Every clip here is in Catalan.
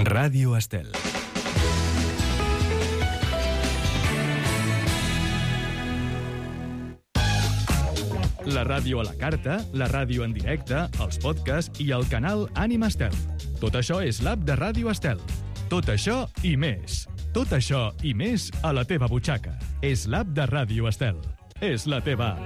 Ràdio Estel. La ràdio a la carta, la ràdio en directe, els podcasts i el canal Ànima Estel. Tot això és l'app de Ràdio Estel. Tot això i més. Tot això i més a la teva butxaca. És l'app de Ràdio Estel. És la teva app.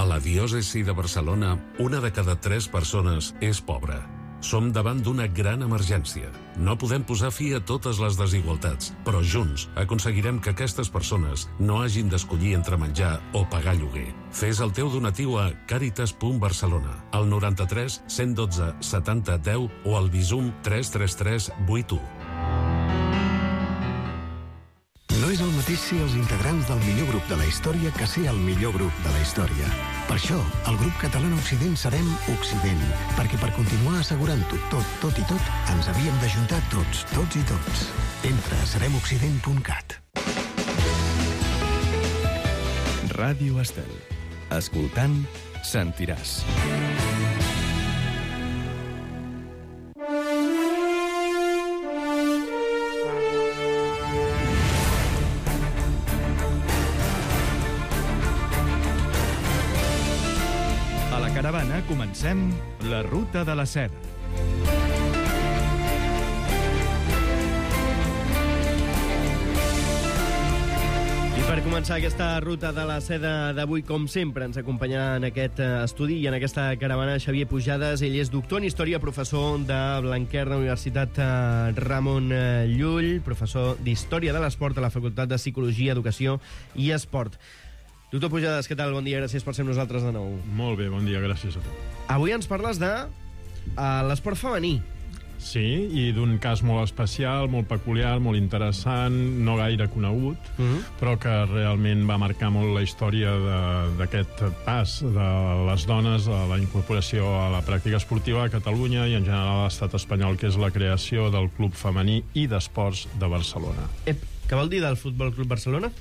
A la diòcesi de Barcelona, 1 de cada 3 persones és pobra. Som davant d'una gran emergència. No podem posar fi a totes les desigualtats, però junts aconseguirem que aquestes persones no hagin d'escollir entre menjar o pagar lloguer. Fes el teu donatiu a caritas.barcelona, al 93 112 70 10 o al Bizum 333 81. No és el mateix ser els integrants del millor grup de la història que ser el millor grup de la història. Per això, el grup català Occident serem Occident, perquè per continuar assegurant-ho tot i tot, ens havíem d'ajuntar tots i tots. Entra a seremoccident.cat. Ràdio Estel. Escoltant, sentiràs. Caravana, comencem la Ruta de la Seda. I per començar aquesta Ruta de la Seda d'avui, com sempre, ens acompanyarà en aquest estudi i en aquesta caravana Xavier Pujades. Ell és doctor en Història, professor de Blanquer de la Universitat Ramon Llull, professor d'Història de l'Esport a la Facultat de Psicologia, Educació i Esport. Doctor Pujades, què tal? Bon dia, gràcies per ser amb nosaltres de nou. Molt bé, bon dia, gràcies a tu. Avui ens parles de l'esport femení. Sí, i d'un cas molt especial, molt peculiar, molt interessant, no gaire conegut, però que realment va marcar molt la història d'aquest pas de les dones a la incorporació a la pràctica esportiva a Catalunya i en general a l'estat espanyol, que és la creació del Club Femení i d'Esports de Barcelona. Què vol dir del Futbol Club Barcelona?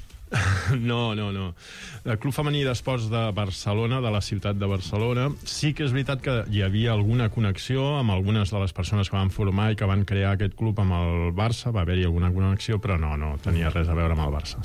No. El Club Femení d'Esports de Barcelona, de la ciutat de Barcelona, sí que és veritat que hi havia alguna connexió amb algunes de les persones que van formar i que van crear aquest club amb el Barça. Va haver-hi alguna connexió, però no tenia res a veure amb el Barça.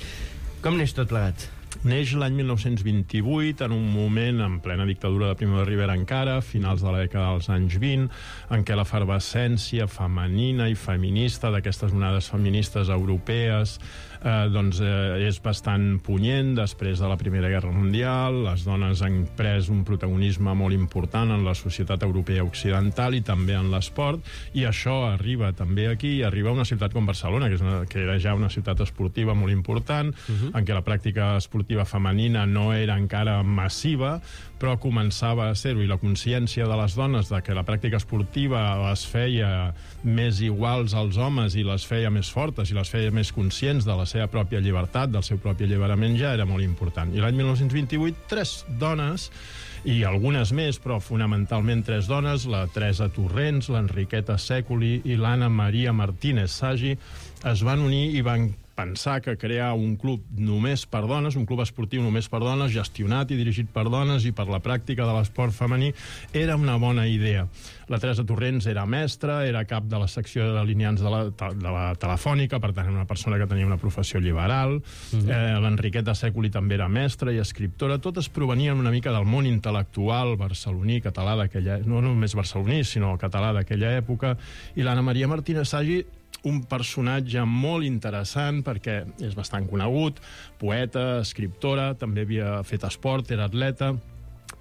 Com neix tot plegat? Neix l'any 1928, en un moment en plena dictadura de Primo de Rivera encara, finals de la dècada dels anys 20, en què l'efervescència femenina i feminista d'aquestes onades feministes europees és bastant punyent després de la Primera Guerra Mundial. Les dones han pres un protagonisme molt important en la societat europea occidental i també en l'esport, i això arriba també aquí, arriba a una ciutat com Barcelona, que era ja una ciutat esportiva molt important, en què la pràctica esportiva femenina no era encara massiva, però començava a ser-ho, i la consciència de les dones de que la pràctica esportiva les feia més iguals als homes i les feia més fortes i les feia més conscients de la seva pròpia llibertat, del seu propi alliberament, ja era molt important. I l'any 1928, 3 dones, i algunes més, però fonamentalment 3 dones, la Teresa Torrents, l'Enriqueta Sèculi i l'Anna Maria Martínez Sagi, es van unir i van pensar que crear un club només per dones, un club esportiu només per dones, gestionat i dirigit per dones i per la pràctica de l'esport femení, era una bona idea. La Teresa Torrents era mestra, era cap de la secció de delineants de la Telefònica, per tant, una persona que tenia una professió liberal. L'Enriqueta Sèculi també era mestra i escriptora. Totes provenien una mica del món intel·lectual barceloní, català d'aquella... No només barceloní, sinó català d'aquella època. I l'Anna Maria Martínez Sagi, un personatge molt interessant perquè és bastant conegut, poeta, escriptora, també havia fet esport, era atleta,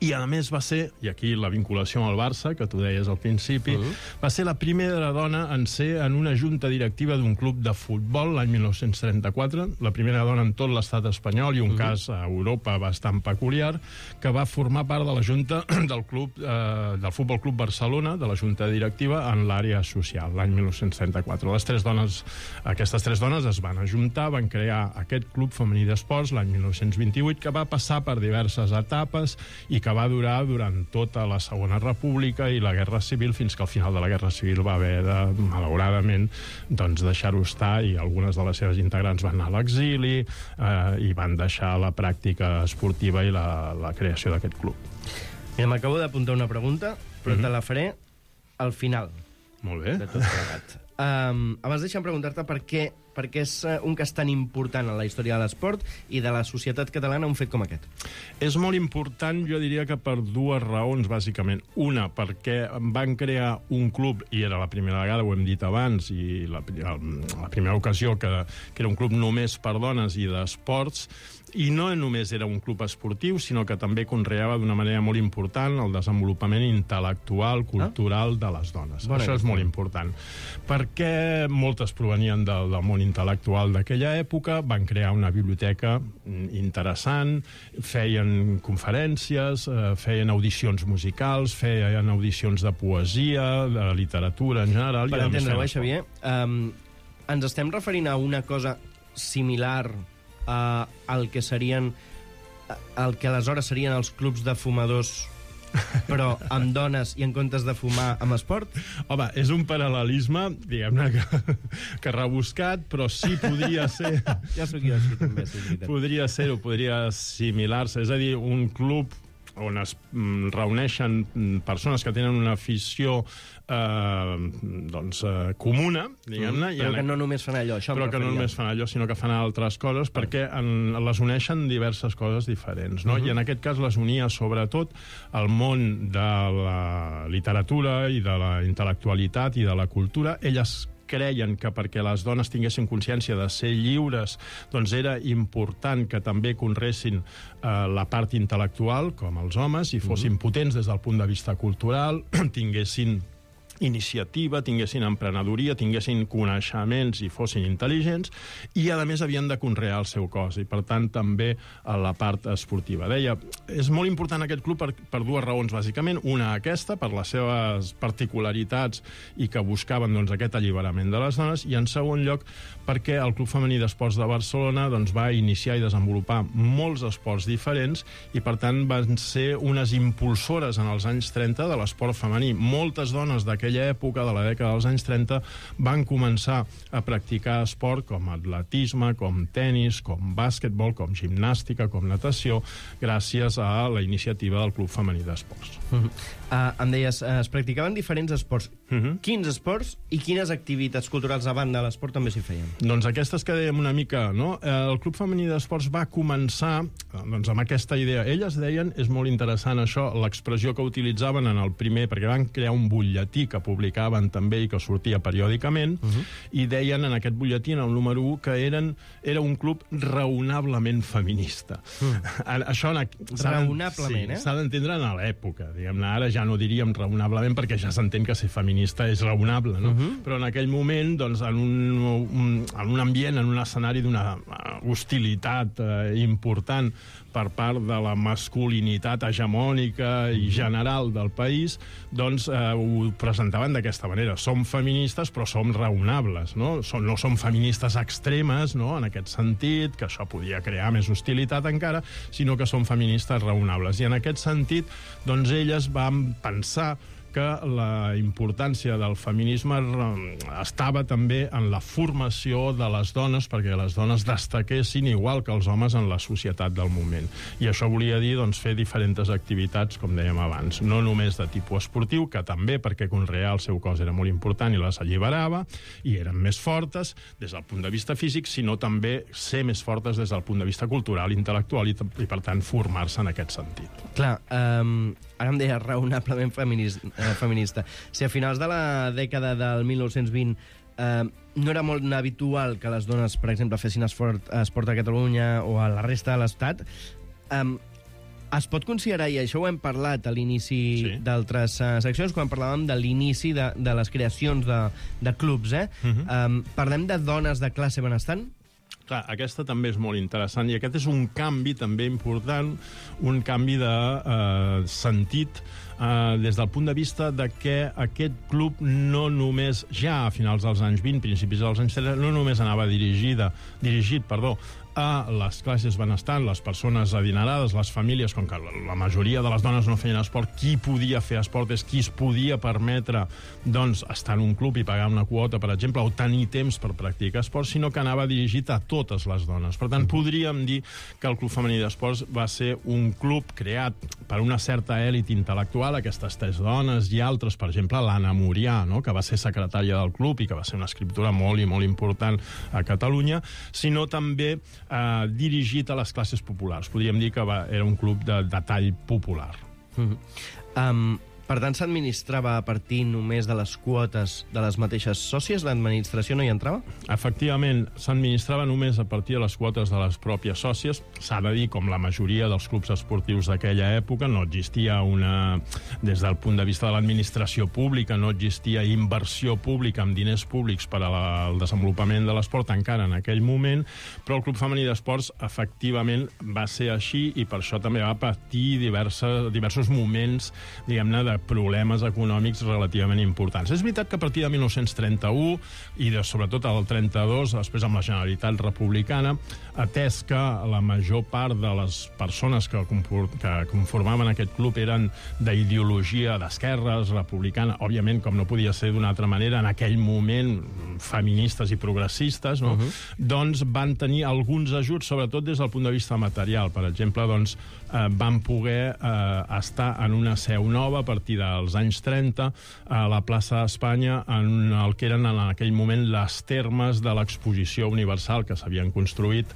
i a més va ser, i aquí la vinculació amb el Barça, que tu deies al principi, va ser la primera dona en ser en una junta directiva d'un club de futbol l'any 1934, la primera dona en tot l'estat espanyol i un cas a Europa bastant peculiar, que va formar part de la junta del club del Futbol Club Barcelona, de la junta directiva en l'àrea social, l'any 1934. Aquestes 3 dones es van ajuntar, van crear aquest club femení d'esports l'any 1928, que va passar per diverses etapes i que va durar durant tota la Segona República i la Guerra Civil, fins que al final de la Guerra Civil va haver de, malauradament, doncs deixar-ho estar, i algunes de les seves integrants van anar a l'exili i van deixar la pràctica esportiva i la creació d'aquest club. Mira, m'acabo d'apuntar una pregunta, però te la faré al final. Molt bé. De tot plegat. Abans deixa'm preguntar-te per què és un cas tan important en la història de l'esport i de la societat catalana un fet com aquest. És molt important, jo diria que per dues raons, bàsicament. Una, perquè van crear un club, i era la primera vegada, ho hem dit abans, i la primera ocasió que era un club només per dones i d'esports, i no només era un club esportiu, sinó que també conreava d'una manera molt important el desenvolupament intel·lectual, cultural de les dones. Això és molt important. Perquè moltes provenien del món intel·lectual d'aquella època, van crear una biblioteca interessant, feien conferències, feien audicions musicals, feien audicions de poesia, de literatura en general. Per entendre-ho, Xavier, ens estem referint a una cosa similar al que serien el que aleshores serien els clubs de fumadors, però amb dones i en comptes de fumar amb esport? Home, és un paral·lelisme, diguem-ne, que rebuscat, però sí podria ser... Ja sóc jo, sí, també, sí, veritat. Podria ser-ho, podria assimilar-se. És a dir, un club on es reuneixen persones que tenen una afició comuna, diguem-ne. Però que no només fan allò, això. Però que no només fan allò, sinó que fan altres coses, perquè les uneixen diverses coses diferents, no? I en aquest cas les unia sobretot el món de la literatura i de la intel·lectualitat i de la cultura. Elles creien que perquè les dones tinguessin consciència de ser lliures, doncs era important que també conreessin la part intel·lectual, com els homes, i fossin potents des del punt de vista cultural, tinguessin iniciativa, tinguessin emprenedoria, tinguessin coneixements i fossin intel·ligents, i a més havien de conrear el seu cos, i per tant també a la part esportiva. Deia, és molt important aquest club per dues raons, bàsicament. Una, aquesta, per les seves particularitats i que buscaven aquest alliberament de les dones, i en segon lloc perquè el Club Femení d'Esports de Barcelona va iniciar i desenvolupar molts esports diferents i per tant van ser unes impulsores en els anys 30 de l'esport femení. Moltes dones d'aquella època, de la dècada dels anys 30, van començar a practicar esport com atletisme, com tenis, com bàsquetbol, com gimnàstica, com natació, gràcies a la iniciativa del Club Femení d'Esports. Em deies, es practicaven diferents esports. Quins esports i quines activitats culturals a banda de l'esport també s'hi feien? Doncs aquestes que dèiem una mica, no? El Club Femení d'Esports va començar amb aquesta idea. Elles deien, és molt interessant això, l'expressió que utilitzaven en el primer, perquè van crear un butlletí que publicaven també i que sortia periòdicament, i deien en aquest butlletí, en el número 1, que era un club raonablement feminista. Això raonablement, s'ha d'entendre en l'època. Diguem-ne, ara ja no diríem raonablement perquè ja s'entén que ser feminista és raonable, no? Però en aquell moment, doncs, en un ambient, en un escenari d'una hostilitat important per part de la masculinitat hegemònica i general del país, doncs ho presentaven d'aquesta manera. Som feministes, però som raonables, no? No som feministes extremes, no?, en aquest sentit, que això podia crear més hostilitat encara, sinó que som feministes raonables. I en aquest sentit, doncs, elles van pensar que la importància del feminisme estava també en la formació de les dones, perquè les dones destaquessin igual que els homes en la societat del moment. I això volia dir, doncs, fer diferents activitats, com dèiem abans, no només de tipus esportiu, que també, perquè conrear el seu cos era molt important i les alliberava, i eren més fortes des del punt de vista físic, sinó també ser més fortes des del punt de vista cultural, intel·lectual, i per tant formar-se en aquest sentit. Clar, ara em deia raonablement feminista. Si a finals de la dècada del 1920 no era molt habitual que les dones, per exemple, fessin esport a Catalunya o a la resta de l'Estat, es pot considerar, i això ho hem parlat a l'inici d'altres seccions, quan parlàvem de l'inici de les creacions de clubs, parlem de dones de classe benestant? Clar, aquesta també és molt interessant, i aquest és un canvi també important, un canvi de sentit des del punt de vista de que aquest club no només, ja a finals dels anys 20, principis dels anys 30, no només anava dirigit a les classes benestants, les persones adinerades, les famílies, com que la majoria de les dones no feien esport, qui podia fer esport és qui es podia permetre doncs, estar en un club i pagar una quota, per exemple, o tenir temps per practicar esport, sinó que anava dirigit a totes les dones. Per tant, podríem dir que el Club Femení d'Esports va ser un club creat per una certa èlit intel·lectual, aquestes 3 dones i altres, per exemple, l'Anna Murià, no?, que va ser secretària del club i que va ser una escriptora molt i molt important a Catalunya, sinó també dirigit a les classes populars. Podríem dir que era un club de tall popular. Per tant, s'administrava a partir només de les quotes de les mateixes sòcies? L'administració no hi entrava? Efectivament, s'administrava només a partir de les quotes de les pròpies sòcies. S'ha de dir, com la majoria dels clubs esportius d'aquella època, no existia des del punt de vista de l'administració pública, no existia inversió pública amb diners públics per al desenvolupament de l'esport encara en aquell moment, però el Club Femení d'Esports efectivament va ser així i per això també va patir diversos moments, diguem-ne, de problemes econòmics relativament importants. És veritat que a partir de 1931 i sobretot el 32, després amb la Generalitat Republicana, atès que la major part de les persones que conformaven aquest club eren d'ideologia d'esquerres, republicana, òbviament, com no podia ser d'una altra manera, en aquell moment feministes i progressistes, no? Doncs van tenir alguns ajuts, sobretot des del punt de vista material. Per exemple, doncs, van poder estar en una seu nova a partir dels anys 30 a la plaça d'Espanya, en el que eren en aquell moment les termes de l'exposició universal que s'havien construït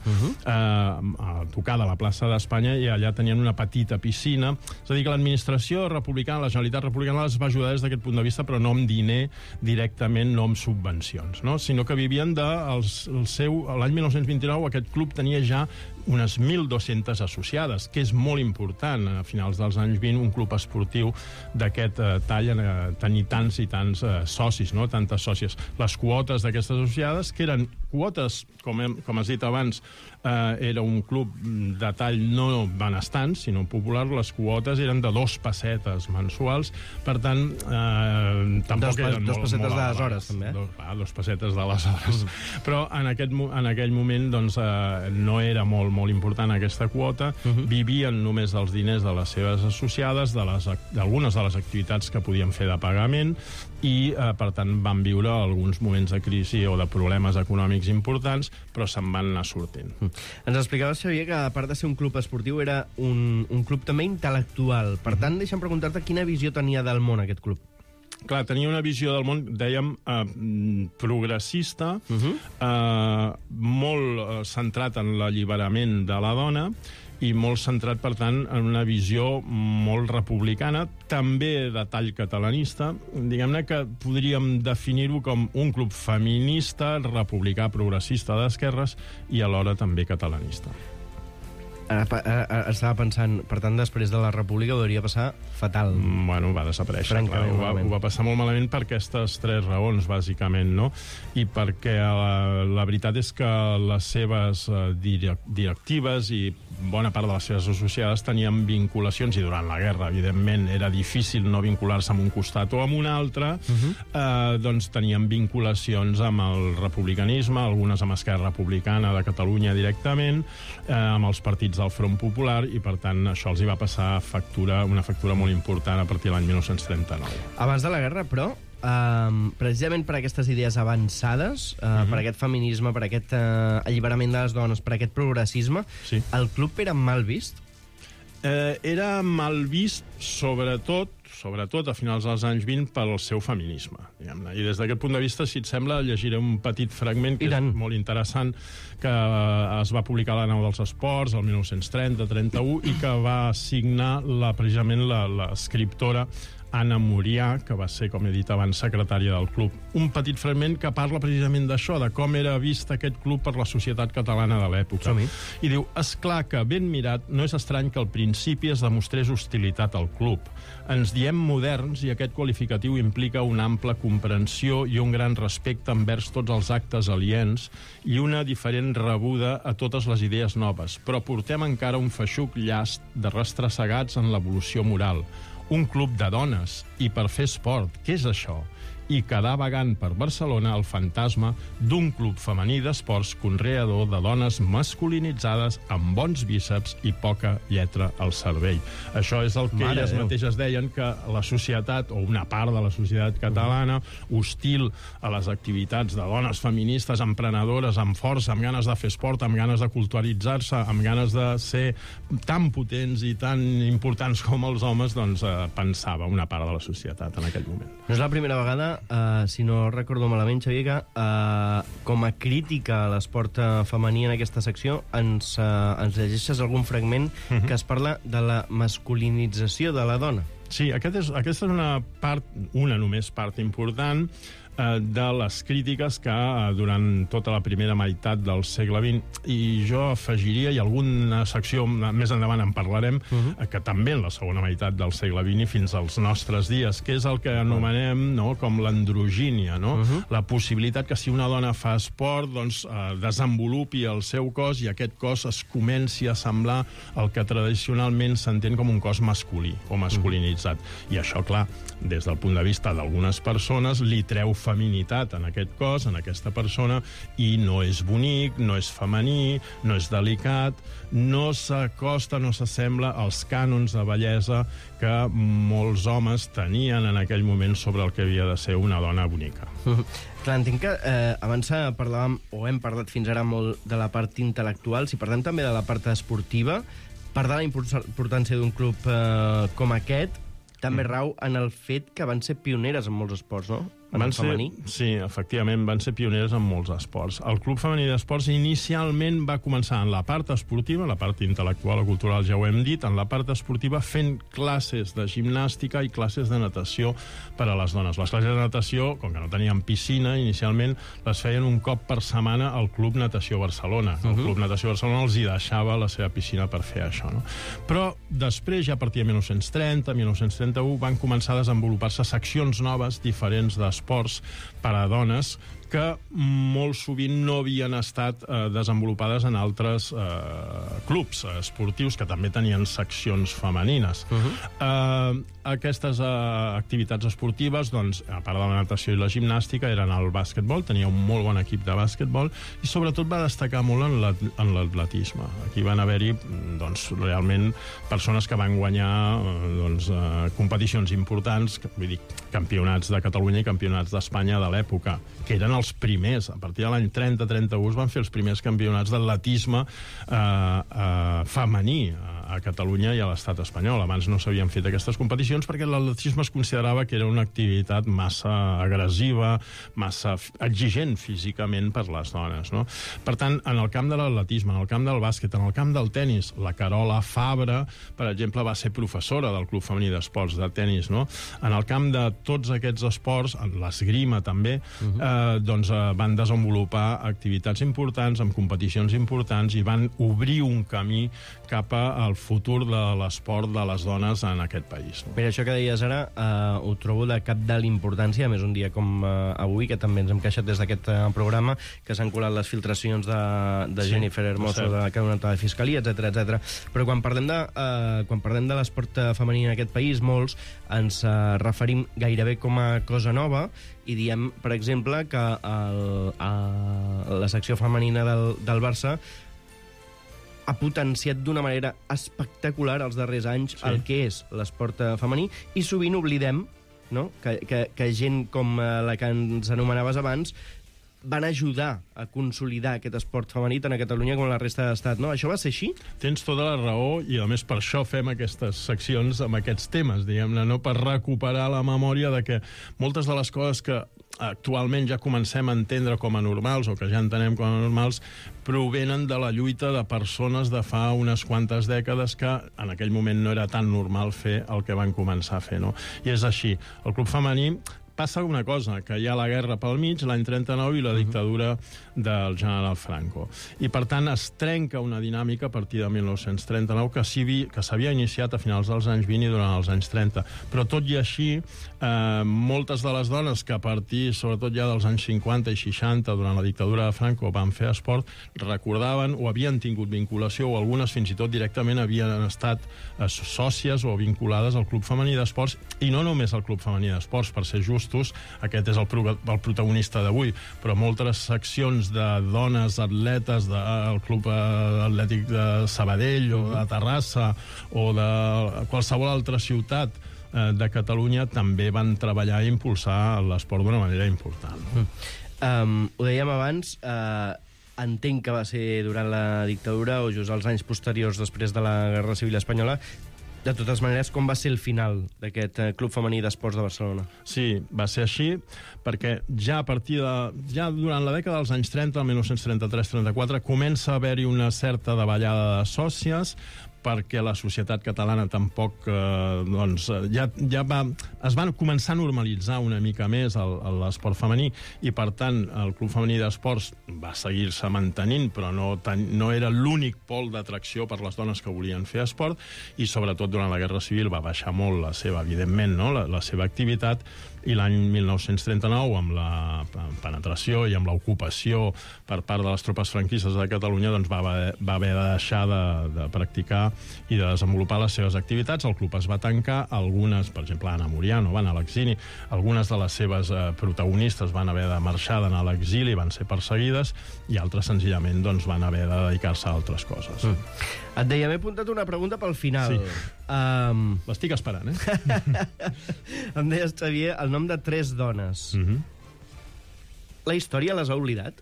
a tocar de la plaça d'Espanya, i allà tenien una petita piscina. És a dir, que l'administració republicana, la Generalitat Republicana, les va ajudar des d'aquest punt de vista, però no amb diner directament, no amb subvencions, no? Sinó que vivien l'any 1929 aquest club tenia ja unes 1.200 associades, que és molt important a finals dels anys 20 un club esportiu d'aquest tall tenir tants i tants socis, no? Tantes sòcies. Les quotes d'aquestes associades, que eren quotes, com has dit abans, era un club de tall no benestant, sinó popular, les quotes eren de 2 pessetes mensuals, per tant, tampoc eren molt pessetes d'aleshores, també, 2 pessetes d'aleshores. Però en aquell moment doncs, no era molt important aquesta quota, vivien només dels diners de les seves associades, d'algunes de les activitats que podien fer de pagament, i, per tant, van viure alguns moments de crisi o de problemes econòmics importants, però se'n van anar sortint. Ens explicaves, Xavier, que a part de ser un club esportiu era un club també intel·lectual. Per tant, deixa'm preguntar-te quina visió tenia del món aquest club. Clar, tenia una visió del món, dèiem, progressista, molt centrat en l'alliberament de la dona i molt centrat, per tant, en una visió molt republicana, també de tall catalanista. Diguem-ne que podríem definir-ho com un club feminista, republicà, progressista d'esquerres i alhora també catalanista. Estava pensant, per tant, després de la República ho hauria passar fatal. Bueno, va desaparèixer. Ho va passar molt malament per aquestes 3 raons, bàsicament, no? I perquè la veritat és que les seves directives i bona part de les seves associades tenien vinculacions, i durant la guerra, evidentment, era difícil no vincular-se amb un costat o amb un altre, doncs tenien vinculacions amb el republicanisme, algunes amb Esquerra Republicana de Catalunya directament, amb els partits del Front Popular, i per tant això els hi va passar una factura molt important a partir de l'any 1939. Abans de la guerra, però, precisament per aquestes idees avançades, per aquest feminisme, per aquest alliberament de les dones, per aquest progressisme, el club era mal vist? Era mal vist, sobretot a finals dels anys 20, pel seu feminisme. I des d'aquest punt de vista, si et sembla, llegiré un petit fragment que és molt interessant, que es va publicar a la Nau dels Esports el 1930-31 i que va signar precisament l'escriptora Anna Murià, que va ser, com he dit abans, secretària del club. Un petit fragment que parla precisament d'això, de com era vist aquest club per la societat catalana de l'època. I diu: és clar que, ben mirat, no és estrany que al principi es demostrés hostilitat al club. Ens diem moderns i aquest qualificatiu implica una ampla comprensió i un gran respecte envers tots els actes aliens i una diferent rebuda a totes les idees noves, però portem encara un feixuc llast de rastressegats en l'evolució moral. Un club de dones, i per fer esport, què és això? i quedar vagant per Barcelona el fantasma d'un club femení d'esports conreador de dones masculinitzades amb bons bíceps i poca lletra al cervell. Això és el que elles mateixes deien, que la societat, o una part de la societat catalana, hostil a les activitats de dones feministes, emprenedores, amb força, amb ganes de fer esport, amb ganes de culturalitzar-se, amb ganes de ser tan potents i tan importants com els homes, doncs pensava una part de la societat en aquell moment. No és la primera vegada, si no recordo malament, Xavier, que com a crítica a l'esport femení en aquesta secció ens llegeixes algun fragment que es parla de la masculinització de la dona. Sí, aquesta és una només part important de les crítiques que durant tota la primera meitat del segle XX, i jo afegiria, i alguna secció més endavant en parlarem, que també en la segona meitat del segle XX i fins als nostres dies, que és el que anomenem com l'androgínia, la possibilitat que si una dona fa esport, doncs desenvolupi el seu cos i aquest cos es comenci a semblar el que tradicionalment s'entén com un cos masculí o masculinitzat. I això, clar, des del punt de vista d'algunes persones, li treu feminitat en aquest cos, en aquesta persona, i no és bonic, no és femení, no és delicat, no s'acosta, no s'assembla als cànons de bellesa que molts homes tenien en aquell moment sobre el que havia de ser una dona bonica. Clar, entenc que abans parlàvem, o hem parlat fins ara molt de la part intel·lectual, si parlem també de la part esportiva, part de la importància d'un club com aquest també rau en el fet que van ser pioneres en molts esports, no? Sí, efectivament, van ser pioneres en molts esports. El Club Femení d'Esports inicialment va començar en la part esportiva, la part intel·lectual o cultural ja ho hem dit, en la part esportiva fent classes de gimnàstica i classes de natació per a les dones. Les classes de natació, com que no tenien piscina, inicialment les feien un cop per setmana al Club Natació Barcelona. El Club Natació Barcelona els hi deixava la seva piscina per fer això, no? Però després, ja a partir de 1930, 1931, van començar a desenvolupar-se seccions noves, diferents d'esports per a dones, que molt sovint no havien estat desenvolupades en altres clubs esportius que també tenien seccions femenines. Aquestes activitats esportives, doncs, a part de la natació i la gimnàstica, eren el bàsquetbol, tenia un molt bon equip de bàsquetbol, i sobretot va destacar molt en l'atletisme. Aquí van haver-hi, doncs, realment persones que van guanyar competicions importants, vull dir, campionats de Catalunya i campionats d'Espanya de l'època, que eren els primers. A partir de l'any 30-31 van fer els primers campionats d'atletisme femení a Catalunya i a l'estat espanyol. Abans no s'havien fet aquestes competicions perquè l'atletisme es considerava que era una activitat massa agressiva, massa exigent físicament per les dones, no? Per tant, en el camp de l'atletisme, en el camp del bàsquet, en el camp del tenis, la Carola Fabra, per exemple, va ser professora del Club Femení d'Esports de tenis, no? En el camp de tots aquests esports, en l'esgrima també, doncs van desenvolupar activitats importants, amb competicions importants, i van obrir un camí cap al futur de l'esport de les dones en aquest país. Mira, això que deies ara ho trobo de cap de l'importància, a més un dia com avui, que també ens hem queixat des d'aquest programa, que s'han colat les filtracions de Jennifer Hermoso, que ha donat a la Fiscalia, etc. Però quan parlem de l'esport femení en aquest país, molts ens referim gairebé com a cosa nova i diem, per exemple, que la secció femenina del Barça ha potenciat d'una manera espectacular els darrers anys el que és l'esport femení, i sovint oblidem, no?, que gent com la que ens anomenaves abans van ajudar a consolidar aquest esport femení tant a Catalunya com a la resta de l'Estat, no? Això va ser així? Tens tota la raó, i a més per això fem aquestes seccions amb aquests temes, diguem-ne, no? Per recuperar la memòria de que moltes de les coses que actualment ja comencem a entendre com a normals, o que ja entenem com a normals, provenen de la lluita de persones de fa unes quantes dècades que en aquell moment no era tan normal fer el que van començar a fer, no? I és així. El club femení passa una cosa, que hi ha la guerra pel mig, l'any 39, i la dictadura del general Franco. I, per tant, es trenca una dinàmica a partir de 1939 que s'havia iniciat a finals dels anys 20 i durant els anys 30. Però, tot i així, moltes de les dones que a partir, sobretot ja dels anys 50 i 60, durant la dictadura de Franco, van fer esport, recordaven o havien tingut vinculació, o algunes fins i tot directament havien estat sòcies o vinculades al Club Femení d'Esports, i no només al Club Femení d'Esports, per ser just, gustos, aquest és el protagonista d'avui, però moltes seccions de dones atletes del Club Atlètic de Sabadell o de Terrassa o de qualsevol altra ciutat de Catalunya també van treballar i impulsar l'esport d'una manera important. Ho dèiem abans, entenc que va ser durant la dictadura o just als anys posteriors després de la Guerra Civil Espanyola. De totes maneres, com va ser el final d'aquest Club Femení d'Esports de Barcelona? Sí, va ser així, perquè ja durant la dècada dels anys 30, el 1933-34, comença a haver-hi una certa davallada de sòcies, perquè la societat catalana tampoc es va començar a normalitzar una mica més l'esport femení i, per tant, el Club Femení d'Esports va seguir-se mantenint, però no era l'únic pol d'atracció per les dones que volien fer esport i, sobretot, durant la Guerra Civil va baixar molt la seva, evidentment, la seva activitat, i l'any 1939, amb la penetració i amb l'ocupació per part de les tropes franquistes de Catalunya, doncs va haver de deixar de practicar i de desenvolupar les seves activitats. El club es va tancar, algunes, per exemple, Anna Muriano, van a l'exili, algunes de les seves protagonistes van haver de marxar, d'anar a l'exili, van ser perseguides, i altres, senzillament, doncs, van haver de dedicar-se a altres coses. Et deia, m'he apuntat una pregunta pel final. Sí. L'estic esperant, Em deies, Xavier, el nom de 3 dones. La història les ha oblidat?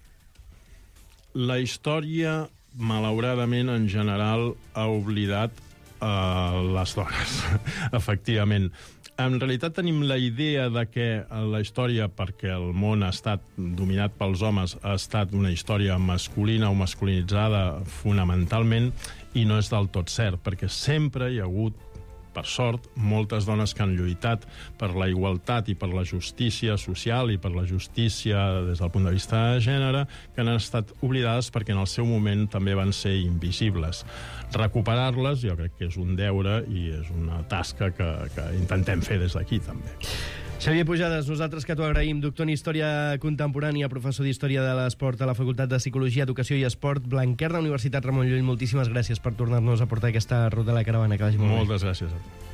La història, malauradament, en general, ha oblidat les dones, efectivament. En realitat tenim la idea de que la història, perquè el món ha estat dominat pels homes, ha estat una història masculina o masculinitzada fonamentalment, i no és del tot cert, perquè sempre hi ha hagut, per sort, moltes dones que han lluitat per la igualtat i per la justícia social i per la justícia des del punt de vista de gènere, que han estat oblidades perquè en el seu moment també van ser invisibles. Recuperar-les jo crec que és un deure i és una tasca que intentem fer des d'aquí també. Xavier Pujades, nosaltres que t'ho agraïm, doctor en Història Contemporània, professor d'Història de l'Esport a la Facultat de Psicologia, Educació i Esport, Blanquerna, Universitat Ramon Llull. Moltíssimes gràcies per tornar-nos a portar aquesta ruta de la caravana. Que vagi molt bé. Moltes gràcies a tu.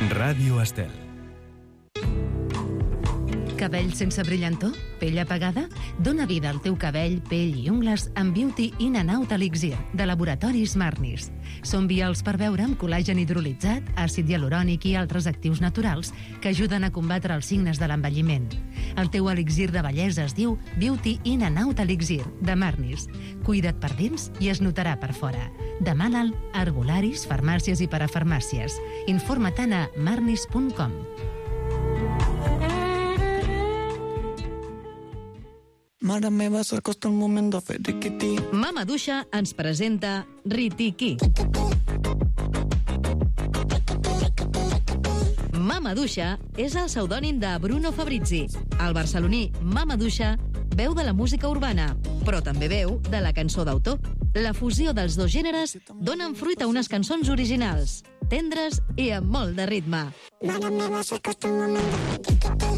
Ràdio Estel. Cabell sense brillantor? Pell apagada? Dóna vida al teu cabell, pell i ungles amb Beauty In and Out Elixir, de Laboratoris Marnis. Són vials per beure amb col·làgen hidrolitzat, àcid hialurònic i altres actius naturals que ajuden a combatre els signes de l'envelliment. El teu elixir de bellesa es diu Beauty In and Out Elixir, de Marnis. Cuida't per dins i es notarà per fora. Demana'l a herbolaris, farmàcies i parafarmàcies. Informa-te'n a marnis.com. Mare meva, s'acosta un moment de fer riquití. Mama Duixa ens presenta Ritiquí. Mama Duixa és el pseudònim de Bruno Fabrizi. El barceloní Mama Duixa veu de la música urbana, però també veu de la cançó d'autor. La fusió dels dos gèneres donen fruit a unes cançons originals, tendres i amb molt de ritme. Mare meva, s'acosta un moment de fer riquití.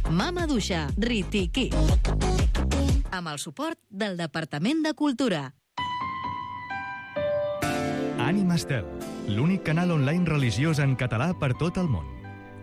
Mama Duixa, Ritiquí. Amb el suport del Departament de Cultura. Ànima Estel, l'únic canal online religiós en català per tot el món.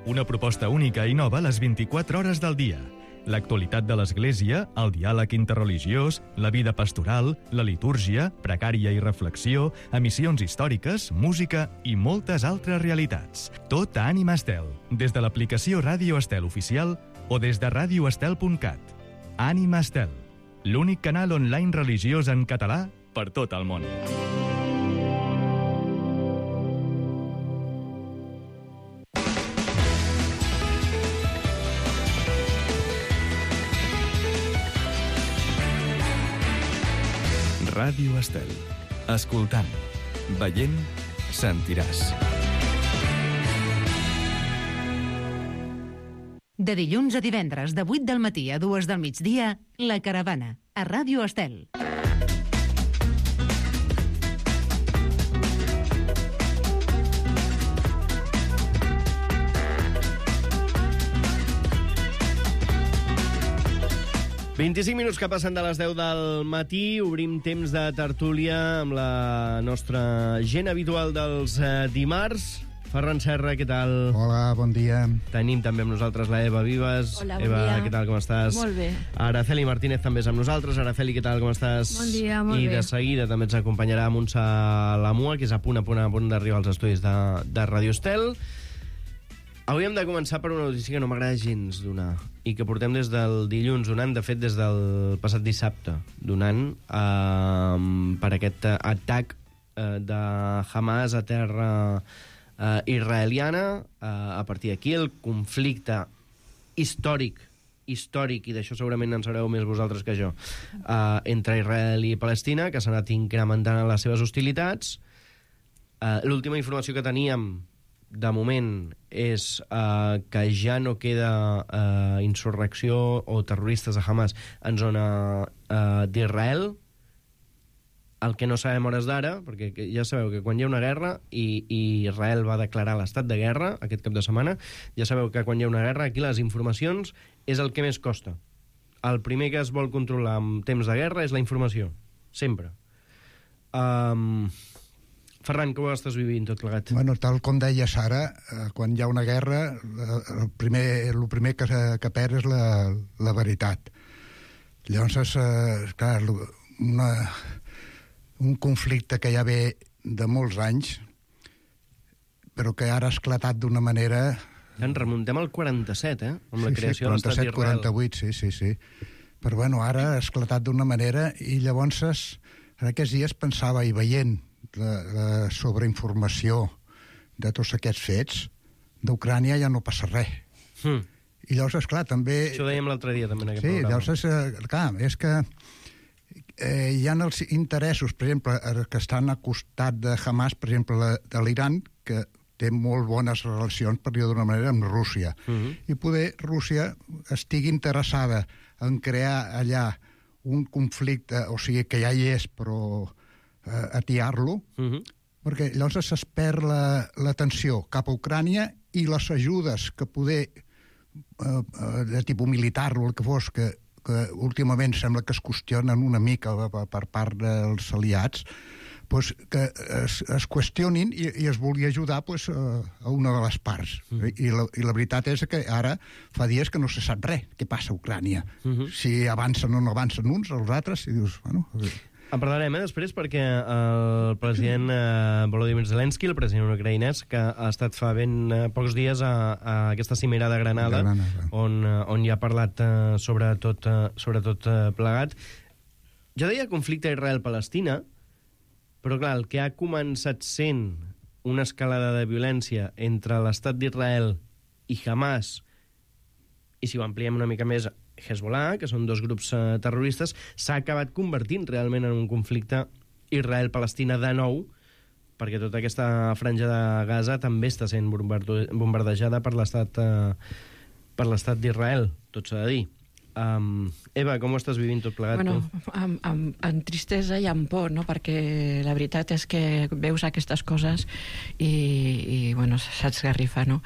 Una proposta única i nova a les 24 hores del dia. L'actualitat de l'Església, el diàleg interreligiós, la vida pastoral, la litúrgia, precària i reflexió, emissions històriques, música i moltes altres realitats. Tot a Ànima Estel, des de l'aplicació Ràdio Estel oficial o des de radioestel.cat. Ànima Estel, l'únic canal online religiós en català per tot el món. Ràdio Estel. Escoltant, veient, sentiràs. De dilluns a divendres, de 8 del matí a 2 del migdia, La Caravana, a Ràdio Estel. «25 minuts que passen de les 10 del matí, obrim temps de tertúlia amb la nostra gent habitual dels dimarts. Ferran Serra, què tal? Hola, bon dia. Tenim també amb nosaltres la Eva Vives. Hola, bon Eva, dia. què tal, com estàs? Molt bé. Araceli Martínez també és amb nosaltres. Araceli, què tal, com estàs? Bon dia, molt I bé. de seguida també ens acompanyarà Montse Lamua, que és a punt d'arribar als estudis de Radio Estel. Avui hem de començar per una notícia que no m'agrada gens donar i que portem des del dilluns donant, de fet des del passat dissabte donant, per aquest atac de Hamas a terra israeliana. A partir d'aquí el conflicte històric, i d'això segurament en sabreu més vosaltres que jo, entre Israel i Palestina, que s'ha anat incrementant en les seves hostilitats. L'última informació que teníem de moment és que ja no queda insurrecció o terroristes de Hamas en zona d'Israel. El que no sabem hores d'ara, perquè ja sabeu que quan hi ha una guerra i Israel va declarar l'estat de guerra aquest cap de setmana, ja sabeu que quan hi ha una guerra aquí les informacions és el que més costa. El primer que es vol controlar en temps de guerra és la informació, sempre. Ferran, com ho estàs vivint tot plegat? Bueno, tal com deia Sara, quan hi ha una guerra, el primer que perd és la veritat. Llavors, clar, un conflicte que ja ve de molts anys, però que ara ha esclatat d'una manera... En remuntem al 47, amb la creació de l'estat d'Israel. 47, 48, sí. Però bueno, ara ha esclatat d'una manera i llavors, en aquests dies pensava, i veient la sobreinformació de tots aquests fets, d'Ucrània ja no passa res. I llavors, esclar, també... Això ho dèiem l'altre dia, també, en aquest programa. Sí, llavors, clar, és que hi ha els interessos, per exemple, que estan al costat de Hamas, per exemple, de l'Iran, que té molt bones relacions, per dir-ho d'una manera, amb Rússia. I poder Rússia estigui interessada en crear allà un conflicte, o sigui, que ja hi és, però atiar-lo, perquè llavors es perd l'atenció cap a Ucrània i les ajudes que poder de tipus militar o el que fos, que últimament sembla que es qüestionen una mica per part dels aliats, pues, que es qüestionin i es vulgui ajudar pues, a una de les parts. I la veritat és que ara fa dies que no se sap res què passa a Ucrània. Si avancen o no avancen uns, els altres, i dius, bueno... En parlarem després perquè el president Volodymyr Zelensky, el president ucraïnès, que ha estat fa ben pocs dies a aquesta cimera de Granada, on hi ha parlat sobre tot plegat. Jo deia conflicte Israel-Palestina, però clar, el que ha començat sent una escalada de violència entre l'estat d'Israel i Hamas, i si ho ampliem una mica més, Hezbollah, que són dos grups terroristes, s'ha acabat convertint realment en un conflicte Israel-Palestina de nou, perquè tota aquesta franja de Gaza també està sent bombardejada per l'estat d'Israel, tot s'ha de dir. Eva, com ho estàs vivint tot plegat? Bueno, amb tristesa i amb por, no? Perquè la veritat és que veus aquestes coses i bueno, s'esgarrifa, no?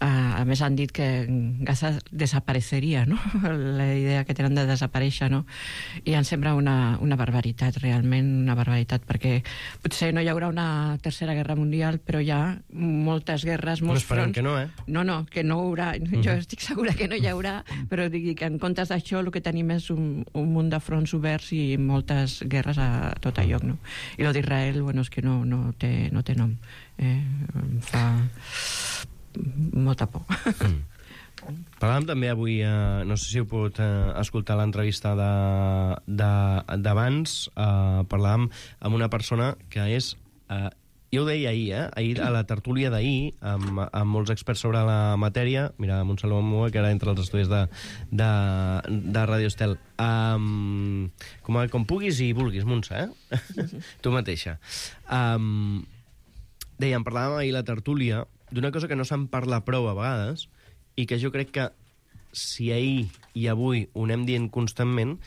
A més han dit que Gaza desapareceria, no? La idea que tenen de desaparèixer, no? I em sembla una barbaritat, realment una barbaritat, perquè potser no hi haurà una tercera guerra mundial, però hi ha moltes guerres, molts fronts. Però esperem que no, No, que no hi haurà. Jo estic segura que no hi haurà, però digui que en comptes d'això el que tenim és un munt de fronts oberts i moltes guerres a tot lloc, no? I lo d'Israel, bueno, és que no té nom. Em fa molta por. Parlàvem també avui, no sé si heu pogut escoltar l'entrevista d'abans, parlàvem amb una persona que és Jo ho deia ahir, ahir a la tertúlia d'ahir, amb molts experts sobre la matèria, mira, amb un Salomó Mua, que era entre els estudis de Radio Estel. Com puguis i vulguis, Montse, tu mateixa. Dèiem, parlàvem ahir a la tertúlia d'una cosa que no se'n parla prou a vegades i que jo crec que si ahir i avui ho anem dient constantment,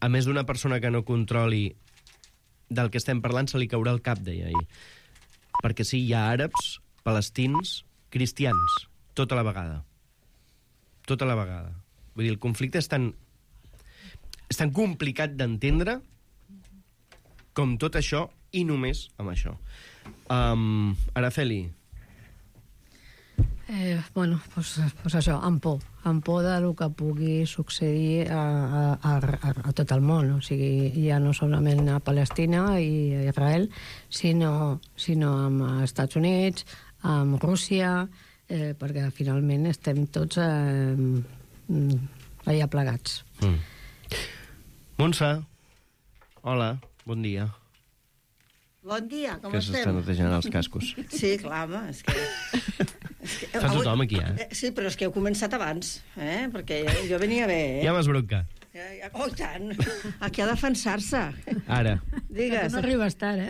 a més d'una persona que no controli del que estem parlant se li caurà el cap, deia ahir. Perquè sí, hi ha àrabs, palestins, cristians, tota la vegada. Tota la vegada. Vull dir, el conflicte és tan complicat d'entendre com tot això i només amb això. Araceli. Bueno, pues això, amb por del que pugui succeir a tot el món, o sigui, ja no solament a Palestina i a Israel, sinó amb Estats Units, amb Rússia, perquè finalment estem tots allà plegats. Montse, hola, bon dia. Bon dia, com estem? Que s'estan netejant els cascos. Sí, clar, home, és que... Fa tothom aquí, Sí, però és que heu començat abans, perquè jo venia bé, Ja m'has broncat. Oh, i tant! Aquí a defensar-se. Ara. Digues. Que no arribes tard,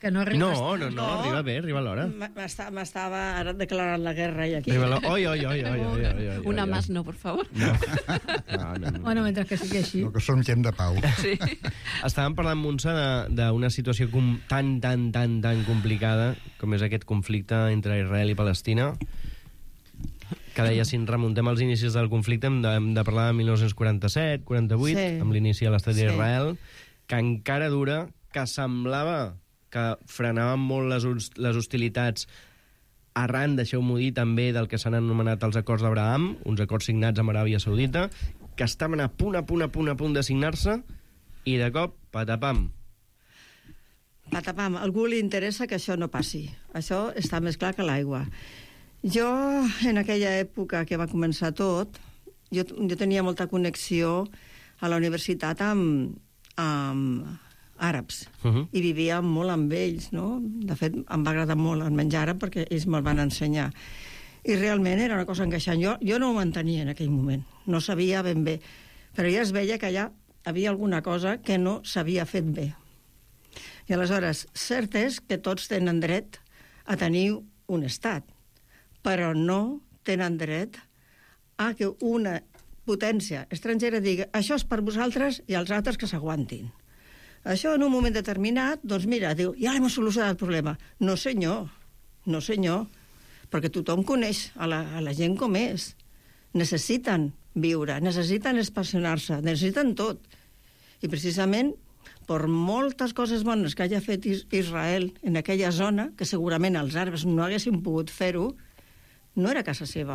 Que no arribes tard. No, arriba bé, arriba a l'hora. M'estava ara declarant la guerra i aquí. Oi. Una más no, por favor. No. Bueno, mentre que sigui així. No, que som gent de pau. Sí. Estàvem parlant, Montse, d'una situació tan complicada com és aquest conflicte entre Israel i Palestina, que deia, si ens remuntem als inicis del conflicte, hem de parlar de 1947, 48, amb l'inici de l'estat d'Israel, que encara dura, que semblava que frenaven molt les hostilitats arran, deixeu-m'ho dir, també del que s'han anomenat els acords d'Abraham, uns acords signats amb Aràbia Saudita, que estaven a punt de signar-se, i de cop, patapam. Patapam. A algú li interessa que això no passi. Això està més clar que l'aigua. Jo, en aquella època que va començar tot, jo tenia molta connexió a la universitat amb àrabs, i vivia molt amb ells, no? De fet, em va agradar molt el menjar àrab perquè ells me'l van ensenyar. I realment era una cosa encaixant. Jo no ho entenia en aquell moment, no sabia ben bé, però ja es veia que allà havia alguna cosa que no s'havia fet bé. I aleshores, cert és que tots tenen dret a tenir un estat, però no tenen dret a que una potència estrangera digui això és per vosaltres i els altres que s'aguantin. Això en un moment determinat, doncs mira, diu, ja hem solucionat el problema. No senyor, perquè tothom coneix a la gent com és. Necessiten viure, necessiten expansionar-se, necessiten tot. I precisament, per moltes coses bones que hagi fet Israel en aquella zona, que segurament els àrabs no haguessin pogut fer-ho, no era casa seva.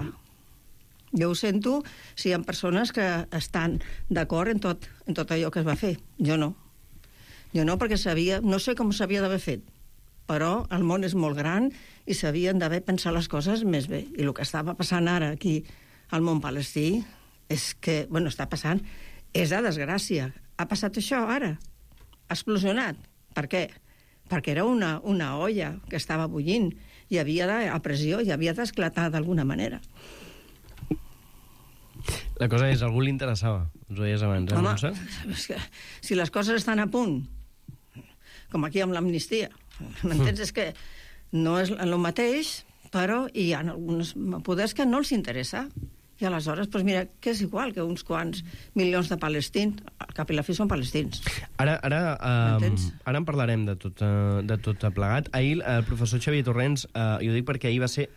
Jo ho sento si hi ha persones que estan d'acord en tot allò que es va fer. Jo no. Jo no, perquè no sé com s'havia d'haver fet, però el món és molt gran i s'havien d'haver pensat les coses més bé. I el que estava passant ara aquí al món palestí és que, està passant, és de desgràcia. Ha passat això ara. Ha explosionat. Per què? Perquè era una olla que estava bullint i havia a pressió i havia d'esclatar d'alguna manera. La cosa és, a algú li interessava, ens ho deies abans, Montse? És que si les coses estan a punt, com aquí amb l'amnistia, m'entens? És que no és el mateix, però hi ha alguns poders que no els interessa. I aleshores, doncs mira, que és igual que uns quants milions de palestins, al cap i la fi són palestins. Ara en parlarem de tot plegat. Ahir el professor Xavier Torrents, i ho dic perquè ahir va ser...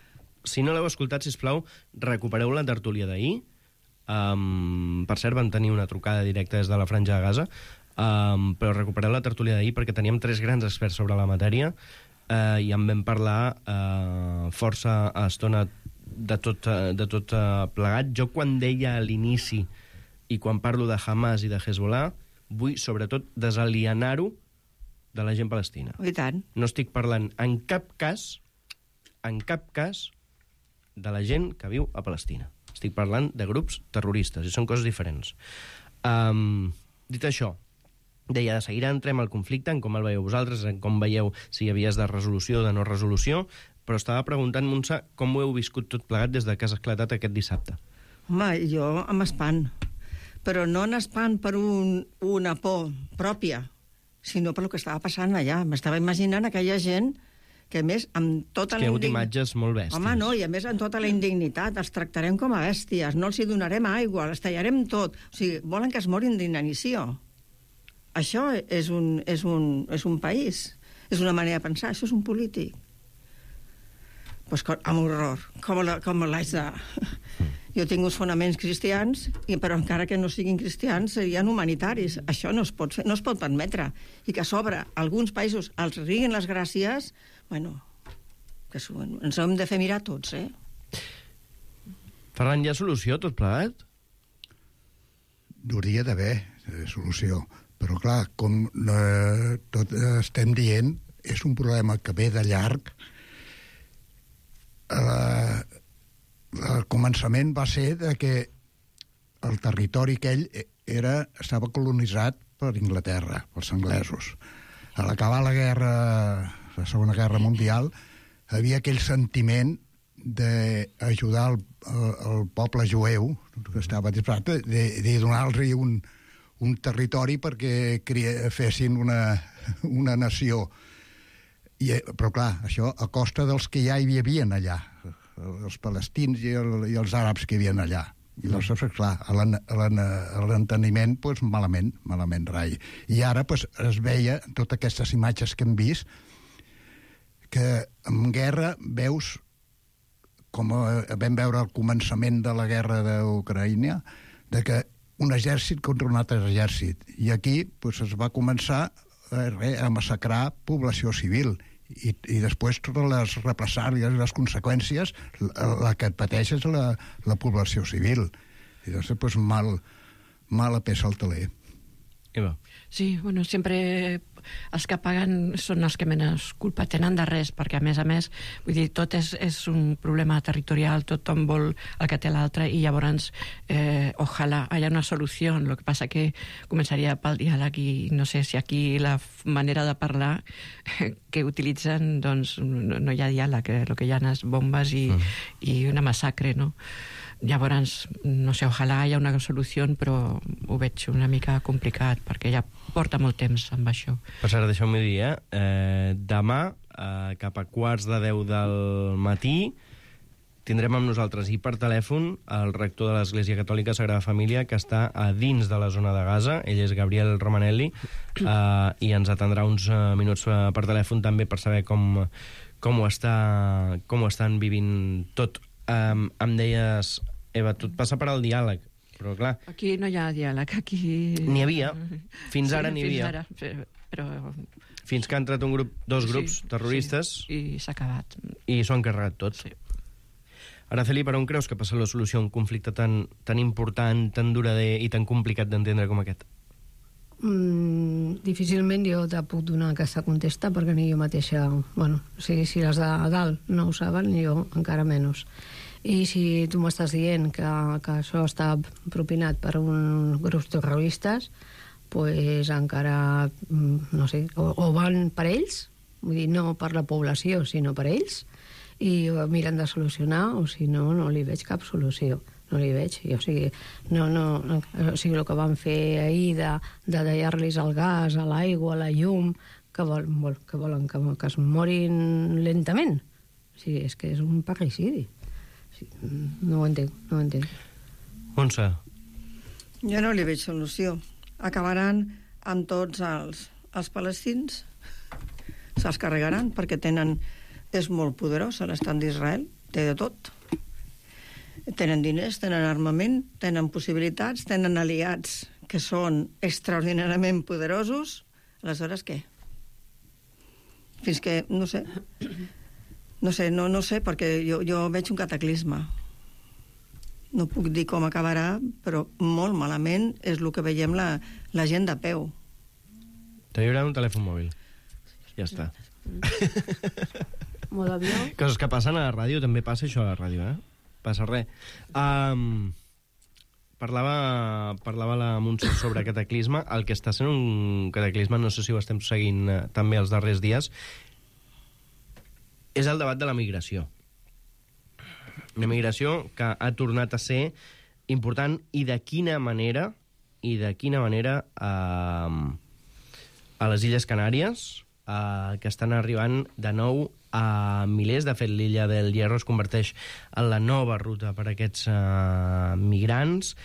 Si no l'heu escoltat, sisplau, recupereu la tertúlia d'ahir. Per cert, van tenir una trucada directa des de la Franja de Gaza, però recupereu la tertúlia d'ahir perquè teníem 3 grans experts sobre la matèria i en vam parlar força estona de tot plegat. Jo quan deia a l'inici i quan parlo de Hamas i de Hezbollah vull sobretot desalienar-ho de la gent palestina. I tant. No estic parlant en cap cas de la gent que viu a Palestina. Estic parlant de grups terroristes i són coses diferents. Dit això, deia, de seguida entrem al conflicte, en com el veieu vosaltres, en com veieu si hi havia de resolució o de no resolució, però estava preguntant, Montse, com ho heu viscut tot plegat des que has esclatat aquest dissabte? Home, jo amb espant, però no en espant per una por pròpia, sinó per el que estava passant allà. M'estava imaginant aquella gent que, a més, amb tota la indignitat... imatges molt bèsties. Home, no, i a més, amb tota la indignitat, els tractarem com a bèsties, no els hi donarem aigua, els tallarem tot. O sigui, volen que es morin d'inanició. Això és un país, és una manera de pensar, això és un polític. Pues amb horror, com l'haig de... Jo tinc uns fonaments cristians, però encara que no siguin cristians, serien humanitaris. Això no es pot fer, no es pot permetre. I que a sobre alguns països els riguin les gràcies, bueno, que ens hem de fer mirar tots, Ferran, hi ha solució tot plegat? Hauria d'haver solució, però clar, com tot estem dient, és un problema que ve de llarg. El començament va ser de que el territori aquell estava colonitzat per Inglaterra, pels anglesos. A l'acabar la Segona Guerra Mundial, havia aquell sentiment d'ajudar el poble jueu, que estava disposat, de donar-los un territori perquè fessin una nació. Però clar, això a costa dels que ja hi havia allà, els palestins i els àrabs que hi havia allà. I llavors, clar, a l'enteniment, doncs, malament rai. I ara es veia, en totes aquestes imatges que hem vist, que en guerra veus, com vam veure al començament de la guerra d'Ucraïna, que un exèrcit contra un altre exèrcit. I aquí es va començar a massacrar població civil. I després totes les represàlies i les conseqüències, la que pateix és la població civil. I després mala peça al taler. Eva. Sí, bueno, sempre els que paguen són els que menys culpa tenen de res, perquè a més, vull dir, tot és un problema territorial, tothom vol el que té l'altre, i llavors ojalà hi ha una solució. El que passa que començaria pel diàleg, i no sé si aquí la manera de parlar que utilitzen, doncs no hi ha diàleg, el que hi ha és bombes i una massacre, no? Llavors, no sé, ojalà hi ha una solució, però ho veig una mica complicat, perquè ja porta molt temps amb això. Per cert, deixeu-me dir, demà, cap a 9:45 del matí, tindrem amb nosaltres i per telèfon el rector de l'Església Catòlica Sagrada Família, que està a dins de la zona de Gaza. Ell és Gabriel Romanelli, i ens atendrà uns minuts per telèfon també per saber com ho estan vivint tot. Em deies, Eva, tot passa per al diàleg, però clar... Aquí no hi ha diàleg, aquí... N'hi havia, fins ara n'hi havia. Però... Fins que ha entrat dos grups terroristes... I s'ha acabat. I s'ho han carregat tot. Sí. Araceli, per on creus que passa la solució a un conflicte tan important, tan durador i tan complicat d'entendre com aquest? Difícilment jo te puc donar aquesta contesta, perquè ni jo mateixa... Bueno, si les de dalt no ho saben, jo encara menys. I si tu m'estàs dient que això està propinat per uns grups terroristes, pues encara, no sé, o van per ells, vull dir, no per la població, sinó per ells, i ho miren de solucionar, o si no, no li veig cap solució. No li veig. O sigui, el que van fer ahir de tallar-los el gas, l'aigua, la llum, que volen que es morin lentament. O sigui, és que és un parricidi. No ho entenc. Montse? Jo no li veig solució. Acabaran amb tots els palestins. Se'ls carregaran perquè és molt poderós l'estat d'Israel, té de tot. Tenen diners, tenen armament, tenen possibilitats, tenen aliats que són extraordinàriament poderosos. Aleshores, què? Fins que, no sé, perquè jo veig un cataclisme. No puc dir com acabarà, però molt malament és el que veiem la gent de peu. T'hi haurà un telèfon mòbil. Ja està. Molt avió. Coses que passen a la ràdio, també passa això a la ràdio, Passa res. parlava la Montse sobre cataclisme. El que està sent un cataclisme, no sé si ho estem seguint també els darrers dies, és el debat de la migració. Una migració que ha tornat a ser important i de quina manera a les Illes Canàries, que estan arribant de nou a milers. De fet, l'illa del Hierro es converteix en la nova ruta per a aquests migrants.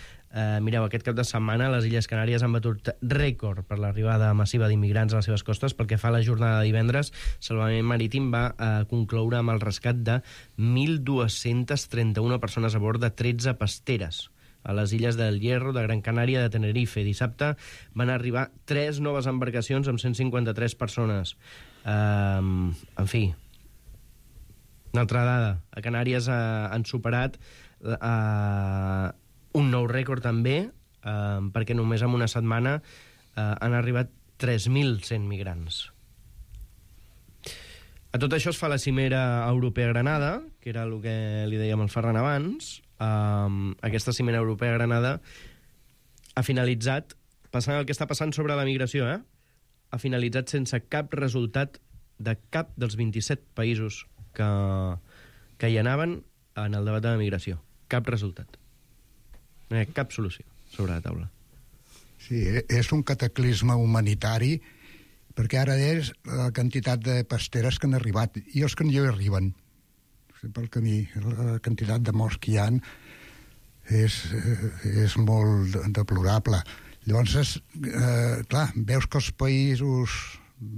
Mireu, aquest cap de setmana les Illes Canàries han batut rècord per l'arribada massiva d'immigrants a les seves costes. Pel que fa a la jornada de divendres, Salvament Marítim va concloure amb el rescat de 1.231 persones a bord de 13 pasteres a les illes del Hierro, de Gran Canària, de Tenerife. Dissabte van arribar 3 noves embarcacions amb 153 persones. En fi, una altra dada. A Canàries han superat un nou rècord també, perquè només en una setmana han arribat 3.100 migrants. A tot això es fa la cimera europea a Granada, que era el que li dèiem al Ferran abans. Aquesta cimera europea a Granada ha finalitzat, passant el que està passant sobre la migració, ha finalitzat sense cap resultat de cap dels 27 països que hi anaven en el debat de la migració. Cap resultat. No hi ha cap solució sobre la taula. Sí, és un cataclisme humanitari, perquè ara és la quantitat de pasteres que han arribat i els que no hi arriben. Pel camí, la quantitat de morts que hi ha és molt deplorable. Llavors, clar, veus que els països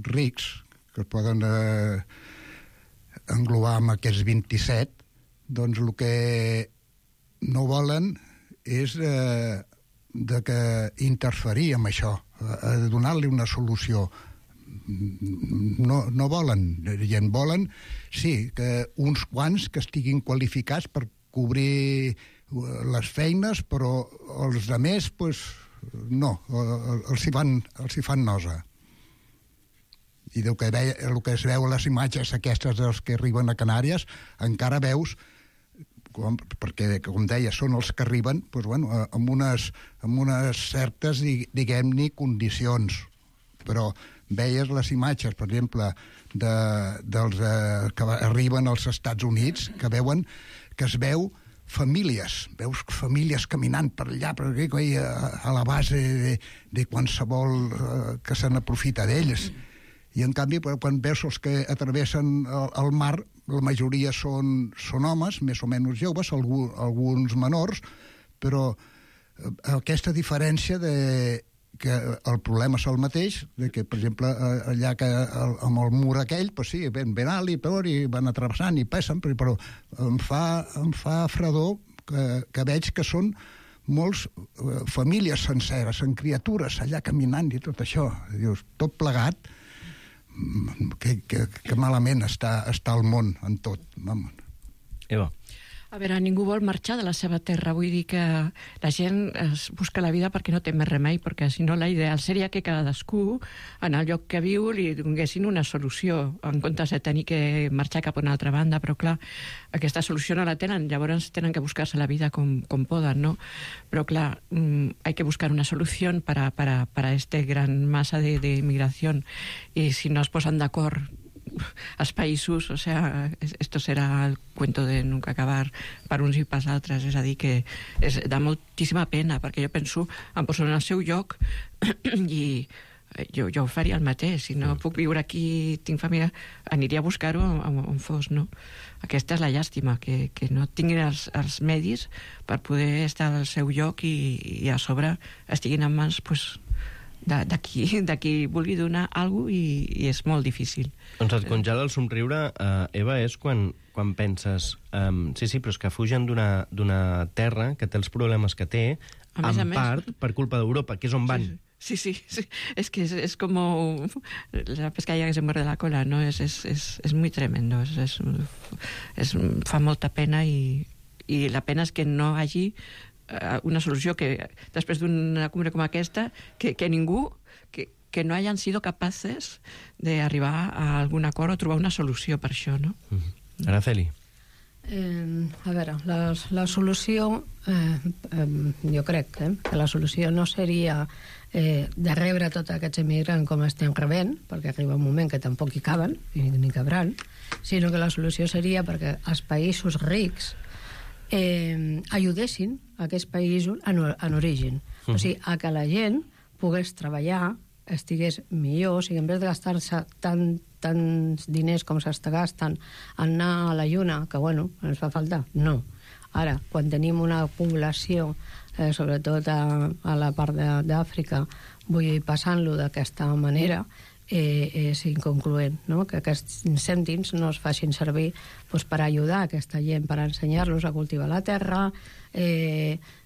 rics, que es poden englobar amb aquests 27, doncs el que no volen és de que interferir amb això, de donar-li una solució. No volen, i en volen, sí, que uns quants que estiguin qualificats per cobrir les feines, però els altres, pues, no, els hi fan nosa. I el que es veu a les imatges aquestes dels que arriben a Canàries, encara veus perquè, com deia, són els que arriben amb unes certes, diguem-ne, condicions. Però veies les imatges, per exemple, dels que arriben als Estats Units, que es veu famílies, veus famílies caminant per allà, a la base de qualsevol que se n'aprofita d'ells. I, en canvi, quan veus els que atravessen el mar, la majoria són homes, més o menys joves, alguns menors, però aquesta diferència que el problema és el mateix, que, per exemple, allà amb el mur aquell, pues sí, ben alt i peor, i van atravessant i passen, però em fa fredor que veig que són molts famílies senceres, amb criatures allà caminant i tot això. Dius, tot plegat, que malament està el món en tot. Eva. A veure, ningú vol marxar de la seva terra. Vull dir que la gent es busca la vida perquè no té més remei, perquè si no l'ideal seria que cadascú, en el lloc que viu, li donguessin una solució, en comptes de tenir que marxar cap a una altra banda. Però clar, aquesta solució no la tenen, llavors tenen que buscar-se la vida com poden, ¿no? Pero claro, hay que buscar una solución para este gran masa de inmigración, y si no es posan d'acord els països, o sea, esto serà el cuento de nunca acabar per uns i per altres. És a dir, que dà moltíssima pena, perquè jo penso, em poso en el seu lloc i jo faria el mateix. Si no puc viure aquí, tinc família, aniria a buscar-ho on fos, no? Aquesta és la llàstima, que no tinguin els medis per poder estar al seu lloc i a sobre estiguin en mans, pues, d'aquí vulgui donar alguna cosa, i és molt difícil. Doncs et congela el somriure, Eva, és quan penses sí, però és que fugen d'una terra que té els problemes que té, en part per culpa d'Europa, que és on van. Sí. Es que es como la pescadilla que se muerde la cola, ¿no? Es muy tremendo. Fa molta pena, i la pena és que no hagi una solució, que després d'una cumbre com aquesta, que ningú, que no hayan sido capaces d'arribar a algun acord o trobar una solució per això, no? Araceli. A veure, la solució, jo crec que la solució no seria de rebre tots aquests immigrants com estem rebent, perquè arriba un moment que tampoc hi caben, ni cabran, sinó que la solució seria perquè els països rics ajudessin a aquests països en origen. O sigui, a que la gent pogués treballar, estigués millor, o sigui, en vez de gastar-se tants diners com s'està gastant en anar a la lluna, que, bueno, ens fa falta, no. Ara, quan tenim una població, sobretot a la part d'Àfrica, vull dir, passant-lo d'aquesta manera, és inconcloent, no? Que aquests cèntims no es facin servir per ajudar aquesta gent, per ensenyar-los a cultivar la terra,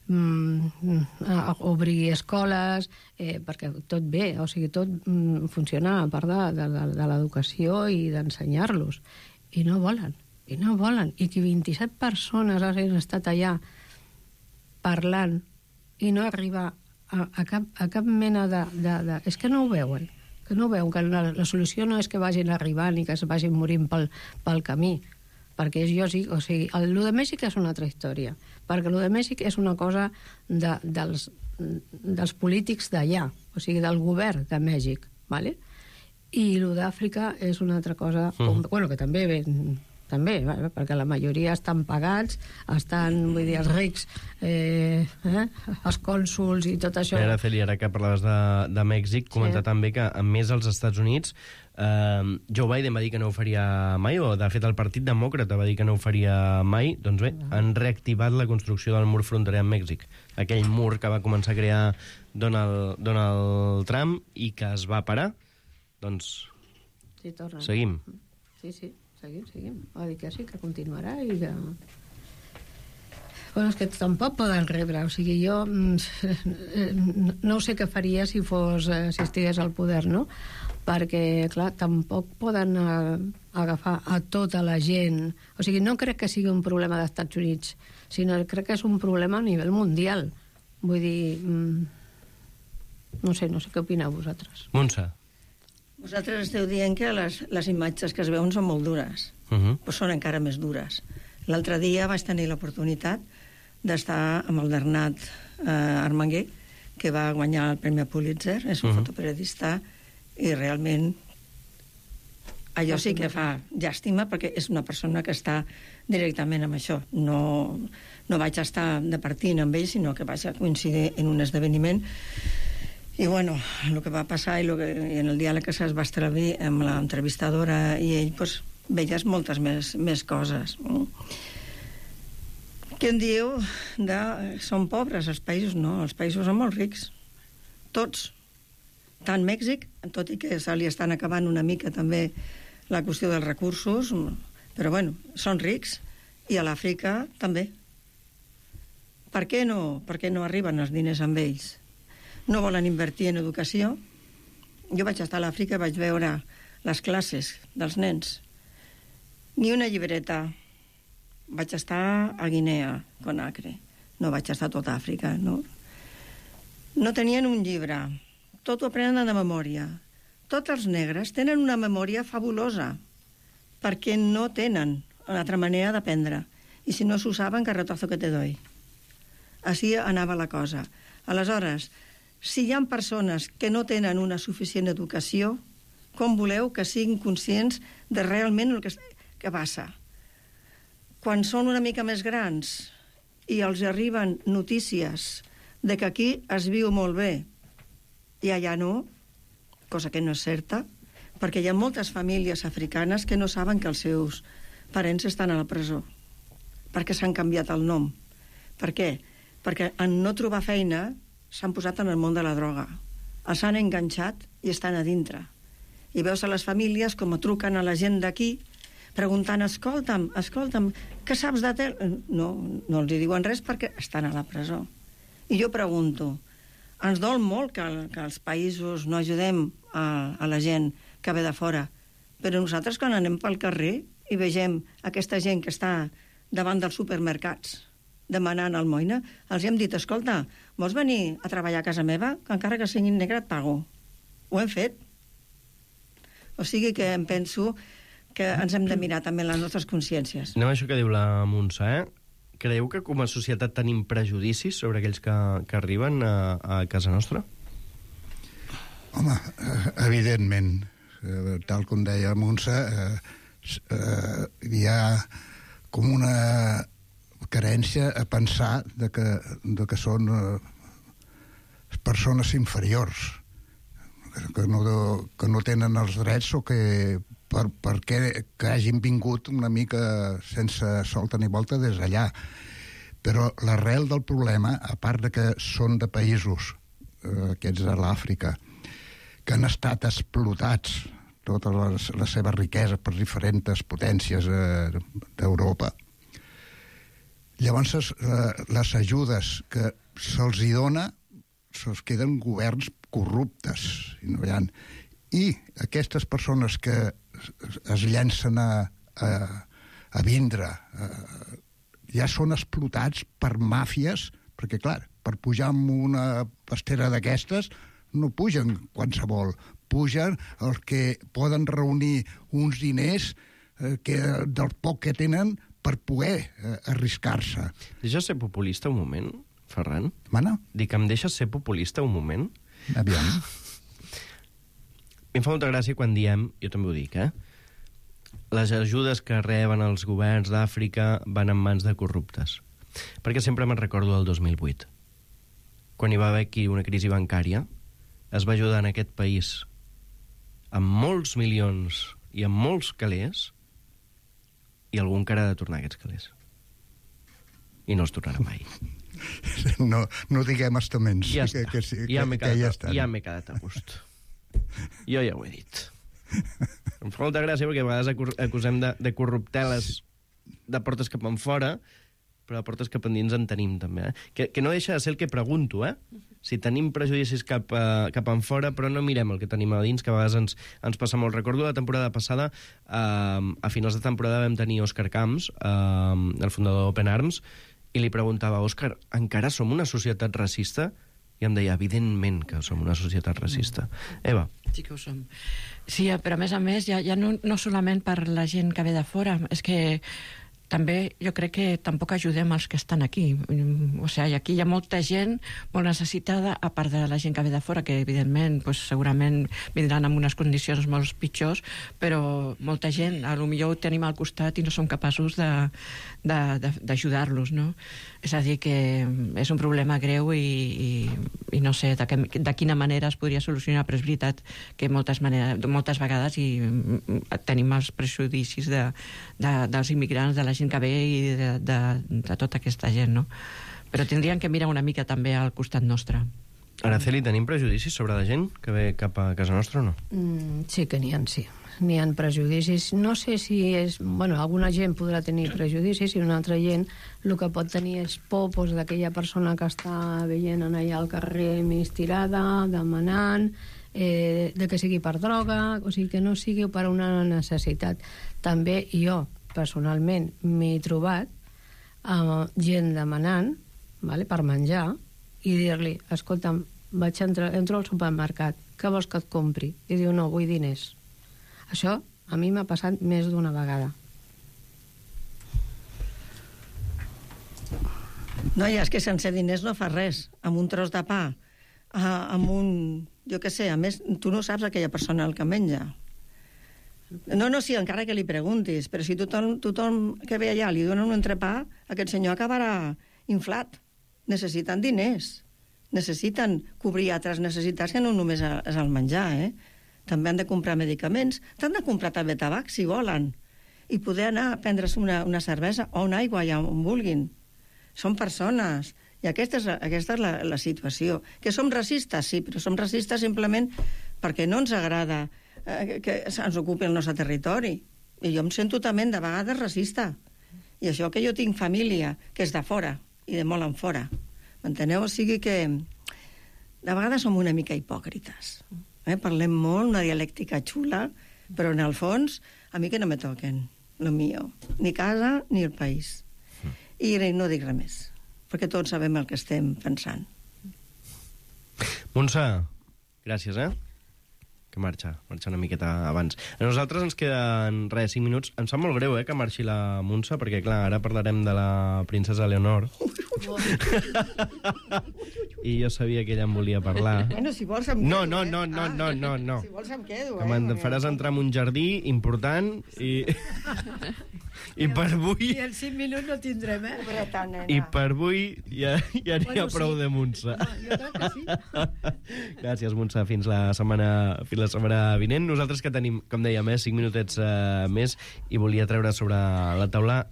a obrir escoles, perquè tot bé, o sigui, tot funciona a part de l'educació i d'ensenyar-los. I no volen. I que 27 persones hagin estat allà parlant i no arriba a cap mena de... És que no ho veuen. Que la solució no és que vagin arribant i que es vagin morint pel camí, perquè és lògic, o sigui, el de Mèxic és una altra història, perquè el de Mèxic és una cosa dels polítics d'allà, o sigui, del govern de Mèxic, ¿vale? I el d'Àfrica és una altra cosa, bueno, que també perquè la majoria estan pagats, vull dir, els rics, els cònsuls i tot això. Araceli, ara que parlaves de Mèxic, comentar també que, a més, als Estats Units, Joe Biden va dir que no ho faria mai, o de fet el Partit Demòcrata va dir que no ho faria mai. Doncs bé, han reactivat la construcció del mur fronterer amb Mèxic, aquell mur que va començar a crear Donald Trump i que es va parar. Doncs seguim. Sí, seguim. Va dir que sí, que continuarà i que... Bueno, és que tampoc poden rebre, o sigui, jo no sé què faria si estigués al poder, no? Perquè, clar, tampoc poden agafar a tota la gent. O sigui, no crec que sigui un problema dels Estats Units, sinó que crec que és un problema a nivell mundial. Vull dir, no sé què opineu vosaltres. Montse. Vosaltres esteu dient que les imatges que es veuen són molt dures, però són encara més dures. L'altre dia vaig tenir l'oportunitat d'estar amb el Bernat Armangué, que va guanyar el Premi Pulitzer, és un fotoperiodista, i realment allò sí que fa llàstima, perquè és una persona que està directament amb això. No vaig estar departint amb ell, sinó que vaig coincidir en un esdeveniment. I, bueno, el que va passar i en el diàleg que es va establir amb l'entrevistadora i ell, doncs, veies moltes més coses. Què en dieu de... Són pobres els països? No, els països són molt rics. Tots. Tant Mèxic, tot i que se li estan acabant una mica també la qüestió dels recursos, però, bueno, són rics. I a l'Àfrica també. Per què no arriben els diners amb ells? No volen invertir en educació. Jo vaig estar a l'Àfrica i vaig veure les classes dels nens. Ni una llibreta. Vaig estar a Guinea, Conakry. No vaig estar a tota Àfrica, no? No tenien un llibre. Tot ho aprenen de memòria. Tots els negres tenen una memòria fabulosa, perquè no tenen una altra manera d'aprendre. I si no s'ho saben, carretazo que te doy. Així anava la cosa. Aleshores, si hi ha persones que no tenen una suficient educació, com voleu que siguin conscients de realment el que passa? Quan són una mica més grans i els arriben notícies de que aquí es viu molt bé i allà no, cosa que no és certa, perquè hi ha moltes famílies africanes que no saben que els seus parents estan a la presó, perquè s'han canviat el nom. Per què? Perquè en no trobar feina s'han posat en el món de la droga. Els han enganxat i estan a dintre. I veus a les famílies com truquen a la gent d'aquí preguntant, escolta'm, què saps de tel? No els diuen res perquè estan a la presó. I jo pregunto, ens dol molt que els països no ajudem a la gent que ve de fora, però nosaltres quan anem pel carrer i vegem aquesta gent que està davant dels supermercats demanant almoina, els hem dit, escolta, vols venir a treballar a casa meva? Que encara que sigui negre et pago. Ho hem fet. O sigui que em penso que ens hem de mirar també les nostres consciències. Anem a això que diu la Montse, Creieu que com a societat tenim prejudicis sobre aquells que arriben a casa nostra? Home, evidentment, tal com deia Montse, hi ha com una carència a pensar de que són persones inferiors, que no tenen els drets o que que hagin vingut una mica sense solta ni volta des d'allà. Però l'arrel del problema, a part de que són de països, aquests de l'Àfrica, que han estat explotats tota la seva riquesa per diferents potències d'Europa. Llavors, les ajudes que se'ls dona se'ls queden governs corruptes. I aquestes persones que es llencen a vindre ja són explotats per màfies, perquè, clar, per pujar amb una pastera d'aquestes no pugen qualsevol, pugen els que poden reunir uns diners del poc que tenen per poder arriscar-se. Deixes ser populista un moment, Ferran? Mana? Dic, em deixes ser populista un moment? Aviam. Em fa molta gràcia quan diem, jo també ho dic, les ajudes que reben els governs d'Àfrica van en mans de corruptes. Perquè sempre me'n recordo del 2008. Quan hi va haver aquí una crisi bancària, es va ajudar en aquest país amb molts milions i amb molts calés, i algú encara ha de tornar aquests calés. I no es tornarà mai. No diguem estaments. Ja està. Ja m'he quedat a gust. Jo ja ho he dit. Em fa molta gràcia perquè a vegades acusem de corrupteles de portes cap enfora, però de portes cap endins en tenim també. Que no deixa de ser el que pregunto, si tenim prejudicis cap enfora, però no mirem el que tenim a dins, que a vegades ens passa molt. Recordo la temporada passada, a finals de temporada vam tenir Òscar Camps, el fundador d'Open Arms, i li preguntava, Òscar, encara som una societat racista? I em deia, evidentment que som una societat racista. Eva. Sí que ho som. Sí, però a més, ja no solament per la gent que ve de fora, és que també jo crec que tampoc ajudem els que estan aquí. O sigui, aquí hi ha molta gent molt necessitada, a part de la gent que ve de fora, que evidentment segurament vindran en unes condicions molt pitjors, però molta gent, potser ho tenim al costat i no som capaços d'ajudar-los, no? És a dir, que és un problema greu i no sé de quina manera es podria solucionar, però és veritat que moltes vegades tenim els prejudicis dels immigrants, de la gent que ve i de tota aquesta gent, no? Però tindrien que mirar una mica també al costat nostre. Araceli, tenim prejudicis sobre la gent que ve cap a casa nostra o no? Sí que n'hi ha, sí. N'hi ha prejudicis. No sé si és... Bueno, alguna gent podrà tenir prejudicis i una altra gent el que pot tenir és por d'aquella persona que està veient allà al carrer més tirada, demanant, de que sigui per droga, o sigui, que no sigui per una necessitat. També jo, personalment, m'he trobat gent demanant, per menjar, i dir-li, escolta'm, entro al supermercat, què vols que et compri? I diu, no, vull diners. Això a mi m'ha passat més d'una vegada. Noia, és que sense diners no fa res. Amb un tros de pa, amb un... Jo què sé, a més, tu no saps aquella persona el que menja. No, sí, encara que li preguntis, però si tothom que ve allà li dona un entrepà, aquest senyor acabarà inflat. Necessiten diners, necessiten cobrir altres necessitats que no només és el menjar, També han de comprar medicaments, t'han de comprar també tabac, si volen, i poder anar a prendre's una cervesa o una aigua allà on vulguin. Són persones, i aquesta és la situació. Que som racistes, sí, però som racistes simplement perquè no ens agrada que ens ocupi el nostre territori. I jo em sento també de vegades racista. I això que jo tinc família, que és de fora, i de molt en fora. M'enteneu? O sigui que de vegades som una mica hipòcrites. Parlem molt, una dialèctica xula, però en el fons a mi que no me toquen lo mío, ni casa ni el país. I no dic res més, perquè tots sabem el que estem pensant. Montse, gràcies, que marxa una miqueta abans. A nosaltres ens queden, 5 minuts. Em sap molt greu, que marxi la Montse, perquè, clar, ara parlarem de la princesa Leonor. I jo sabia que ella em volia parlar. Bueno, si vols em quedo, No. Si vols em quedo, que me'n faràs entrar en un jardí important i per avui... I els 5 minuts no tindrem, I per avui ja n'hi ha prou de Montse. Jo crec que sí. Gràcies, Montse. Fins la setmana vinent. Nosaltres que tenim, com dèiem, 5 minutets més, i volia treure sobre la taula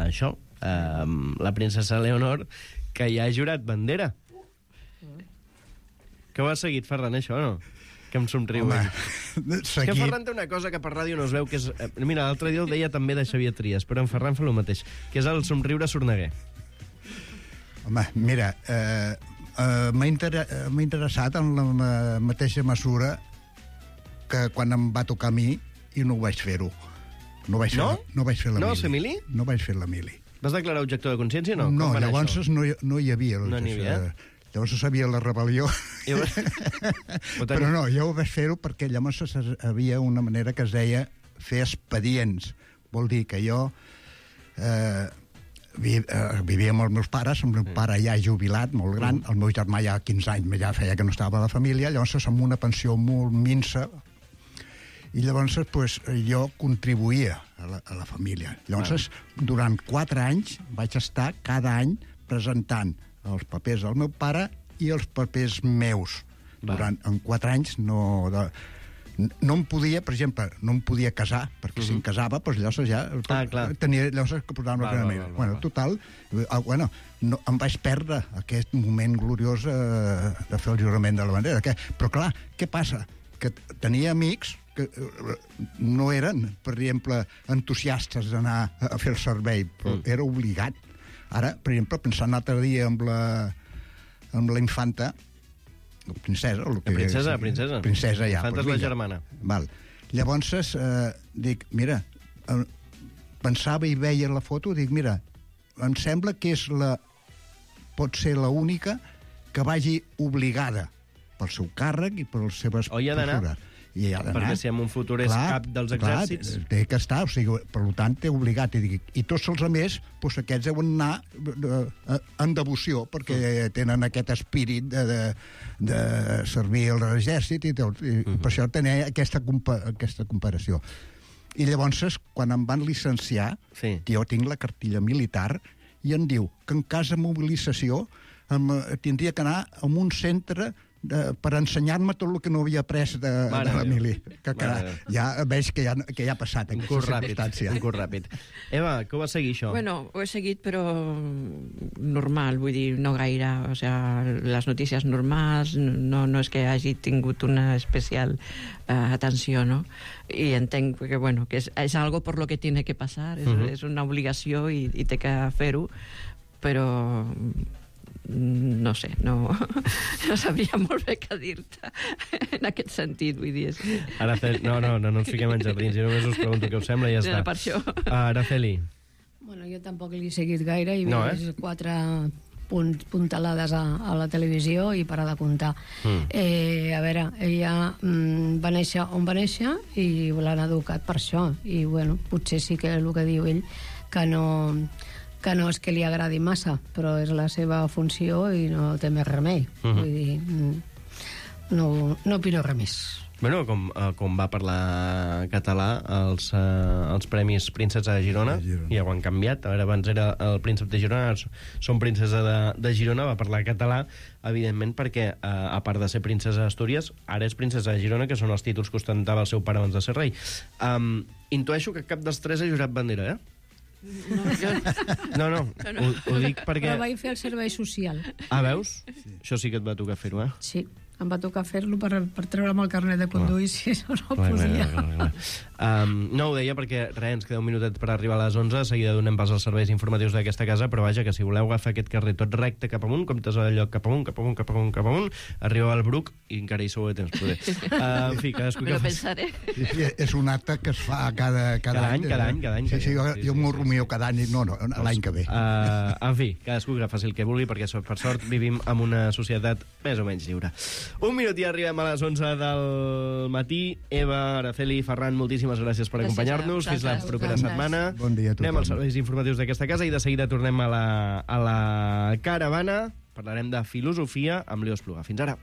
això, la princesa Leonor, que ja ha jurat bandera. Que ho has seguit, Ferran, això, o no? Que em somriu. Que Ferran té una cosa que per ràdio no es veu, que és... Mira, l'altre dia ho deia també de Xavier Trias, però en Ferran fa el mateix, que és el somriure sorneguer. Home, mira, m'ha interessat en la mateixa mesura que quan em va tocar a mi i no ho vaig fer-ho. No vaig fer la mili. No vas fer mili? No vaig fer la mili. Vas declarar objector de consciència, no? No, llavors no hi havia. No n'hi havia? Llavors sabia la rebel·lió. Però no, jo ho vaig fer-ho perquè llavors hi havia una manera que es deia fer expedients. Vol dir que jo vivia amb els meus pares, el meu pare ja jubilat, molt gran, el meu germà ja 15 anys ja feia que no estava a la família, llavors amb una pensió molt minsa, i llavors pues, jo contribuïa a la família. Llavors, durant 4 anys vaig estar cada any presentant els papers del meu pare i els papers meus. En 4 anys no em podia, per exemple, no em podia casar, perquè si em casava, doncs llavors ja tenia que posar-me l'ordenament. Bueno, total, em vaig perdre aquest moment gloriós de fer el jurament de la bandera. Però clar, què passa? Que tenia amics que no eren, per exemple, entusiastes d'anar a fer el servei, però era obligat. Ara, per exemple, pensant l'altre dia amb la infanta, la princesa... Princesa, ja. Infanta és la germana. Val. Llavors, dic, mira, pensava i veia la foto, dic, mira, em sembla que pot ser l'única que vagi obligada pel seu càrrec i per les seves postures. Perquè si en un futur és cap dels exèrcits... Clar, té que estar, o sigui, per tant, té obligat. I tots els altres, doncs aquests deuen anar en devoció, perquè tenen aquest espírit de servir a l'exèrcit, i per això tenia aquesta comparació. I llavors, quan em van licenciar, jo tinc la cartilla militar, i em diu que en cas de mobilització tindria que anar a un centre per ensenyar-me tot el que no havia après de la mili. Ja veig que ja ha passat un curs ràpid. Eva, que ho vas seguir, això? Bueno, ho he seguit, però normal, vull dir, no gaire. O sea, les notícies normals, no és que hagi tingut una especial atenció, no? I entenc que, bueno, que és algo por lo que tiene que pasar, és una obligació i té que fer-ho, però... no sé, no sabria molt bé què dir-te en aquest sentit, vull dir. No ens fiquem en jardins, jo només us pregunto què us sembla i ja està. Per això. Araceli. Bueno, jo tampoc l'he seguit gaire i veig 4 puntalades a la televisió i parar de comptar. A veure, ella va néixer on va néixer i l'han educat per això, i bueno, potser sí que el que diu ell que no és que li agradi massa, però és la seva funció i no té més remei. Vull dir, no opino res més. Bueno, com va parlar català els Premis Princesa de Girona, ja ho han canviat. Abans era el príncep de Girona, són princesa de Girona, va parlar català, evidentment, perquè, a part de ser princesa d'Astúries, ara és princesa de Girona, que són els títols que ostentava el seu pare abans de ser rei. Intueixo que cap dels 3 ha jurat bandera, No, ho dic perquè... Però vaig fer el servei social. Veus? Això sí que et va tocar fer-ho, Sí, em va tocar fer-lo per treure'm el carnet de conduir, si no podia. No, ho deia perquè, ens queda un minutet per arribar a les 11, de seguida donem pas als serveis informatius d'aquesta casa, però vaja, que si voleu agafar aquest carrer tot recte cap amunt, comptes de lloc cap amunt, arribeu al Bruc i encara hi sou de temps, poder. En fi, cadascú que faci. Pensaré. És un acte que es fa cada any. Cada any. Sí, jo m'ho rumio cada any, l'any que ve. En fi, cadascú que faci el que vulgui, perquè per sort vivim en una societat més o menys lliure. Un minut i arribem a les 11 del matí. Eva, Araceli, Ferran, moltíssimes gràcies per acompanyar-nos. Fins la propera setmana. Bon dia a tothom. Anem als serveis informatius d'aquesta casa i de seguida tornem a la caravana. Parlarem de filosofia amb Leo Espluga. Fins ara.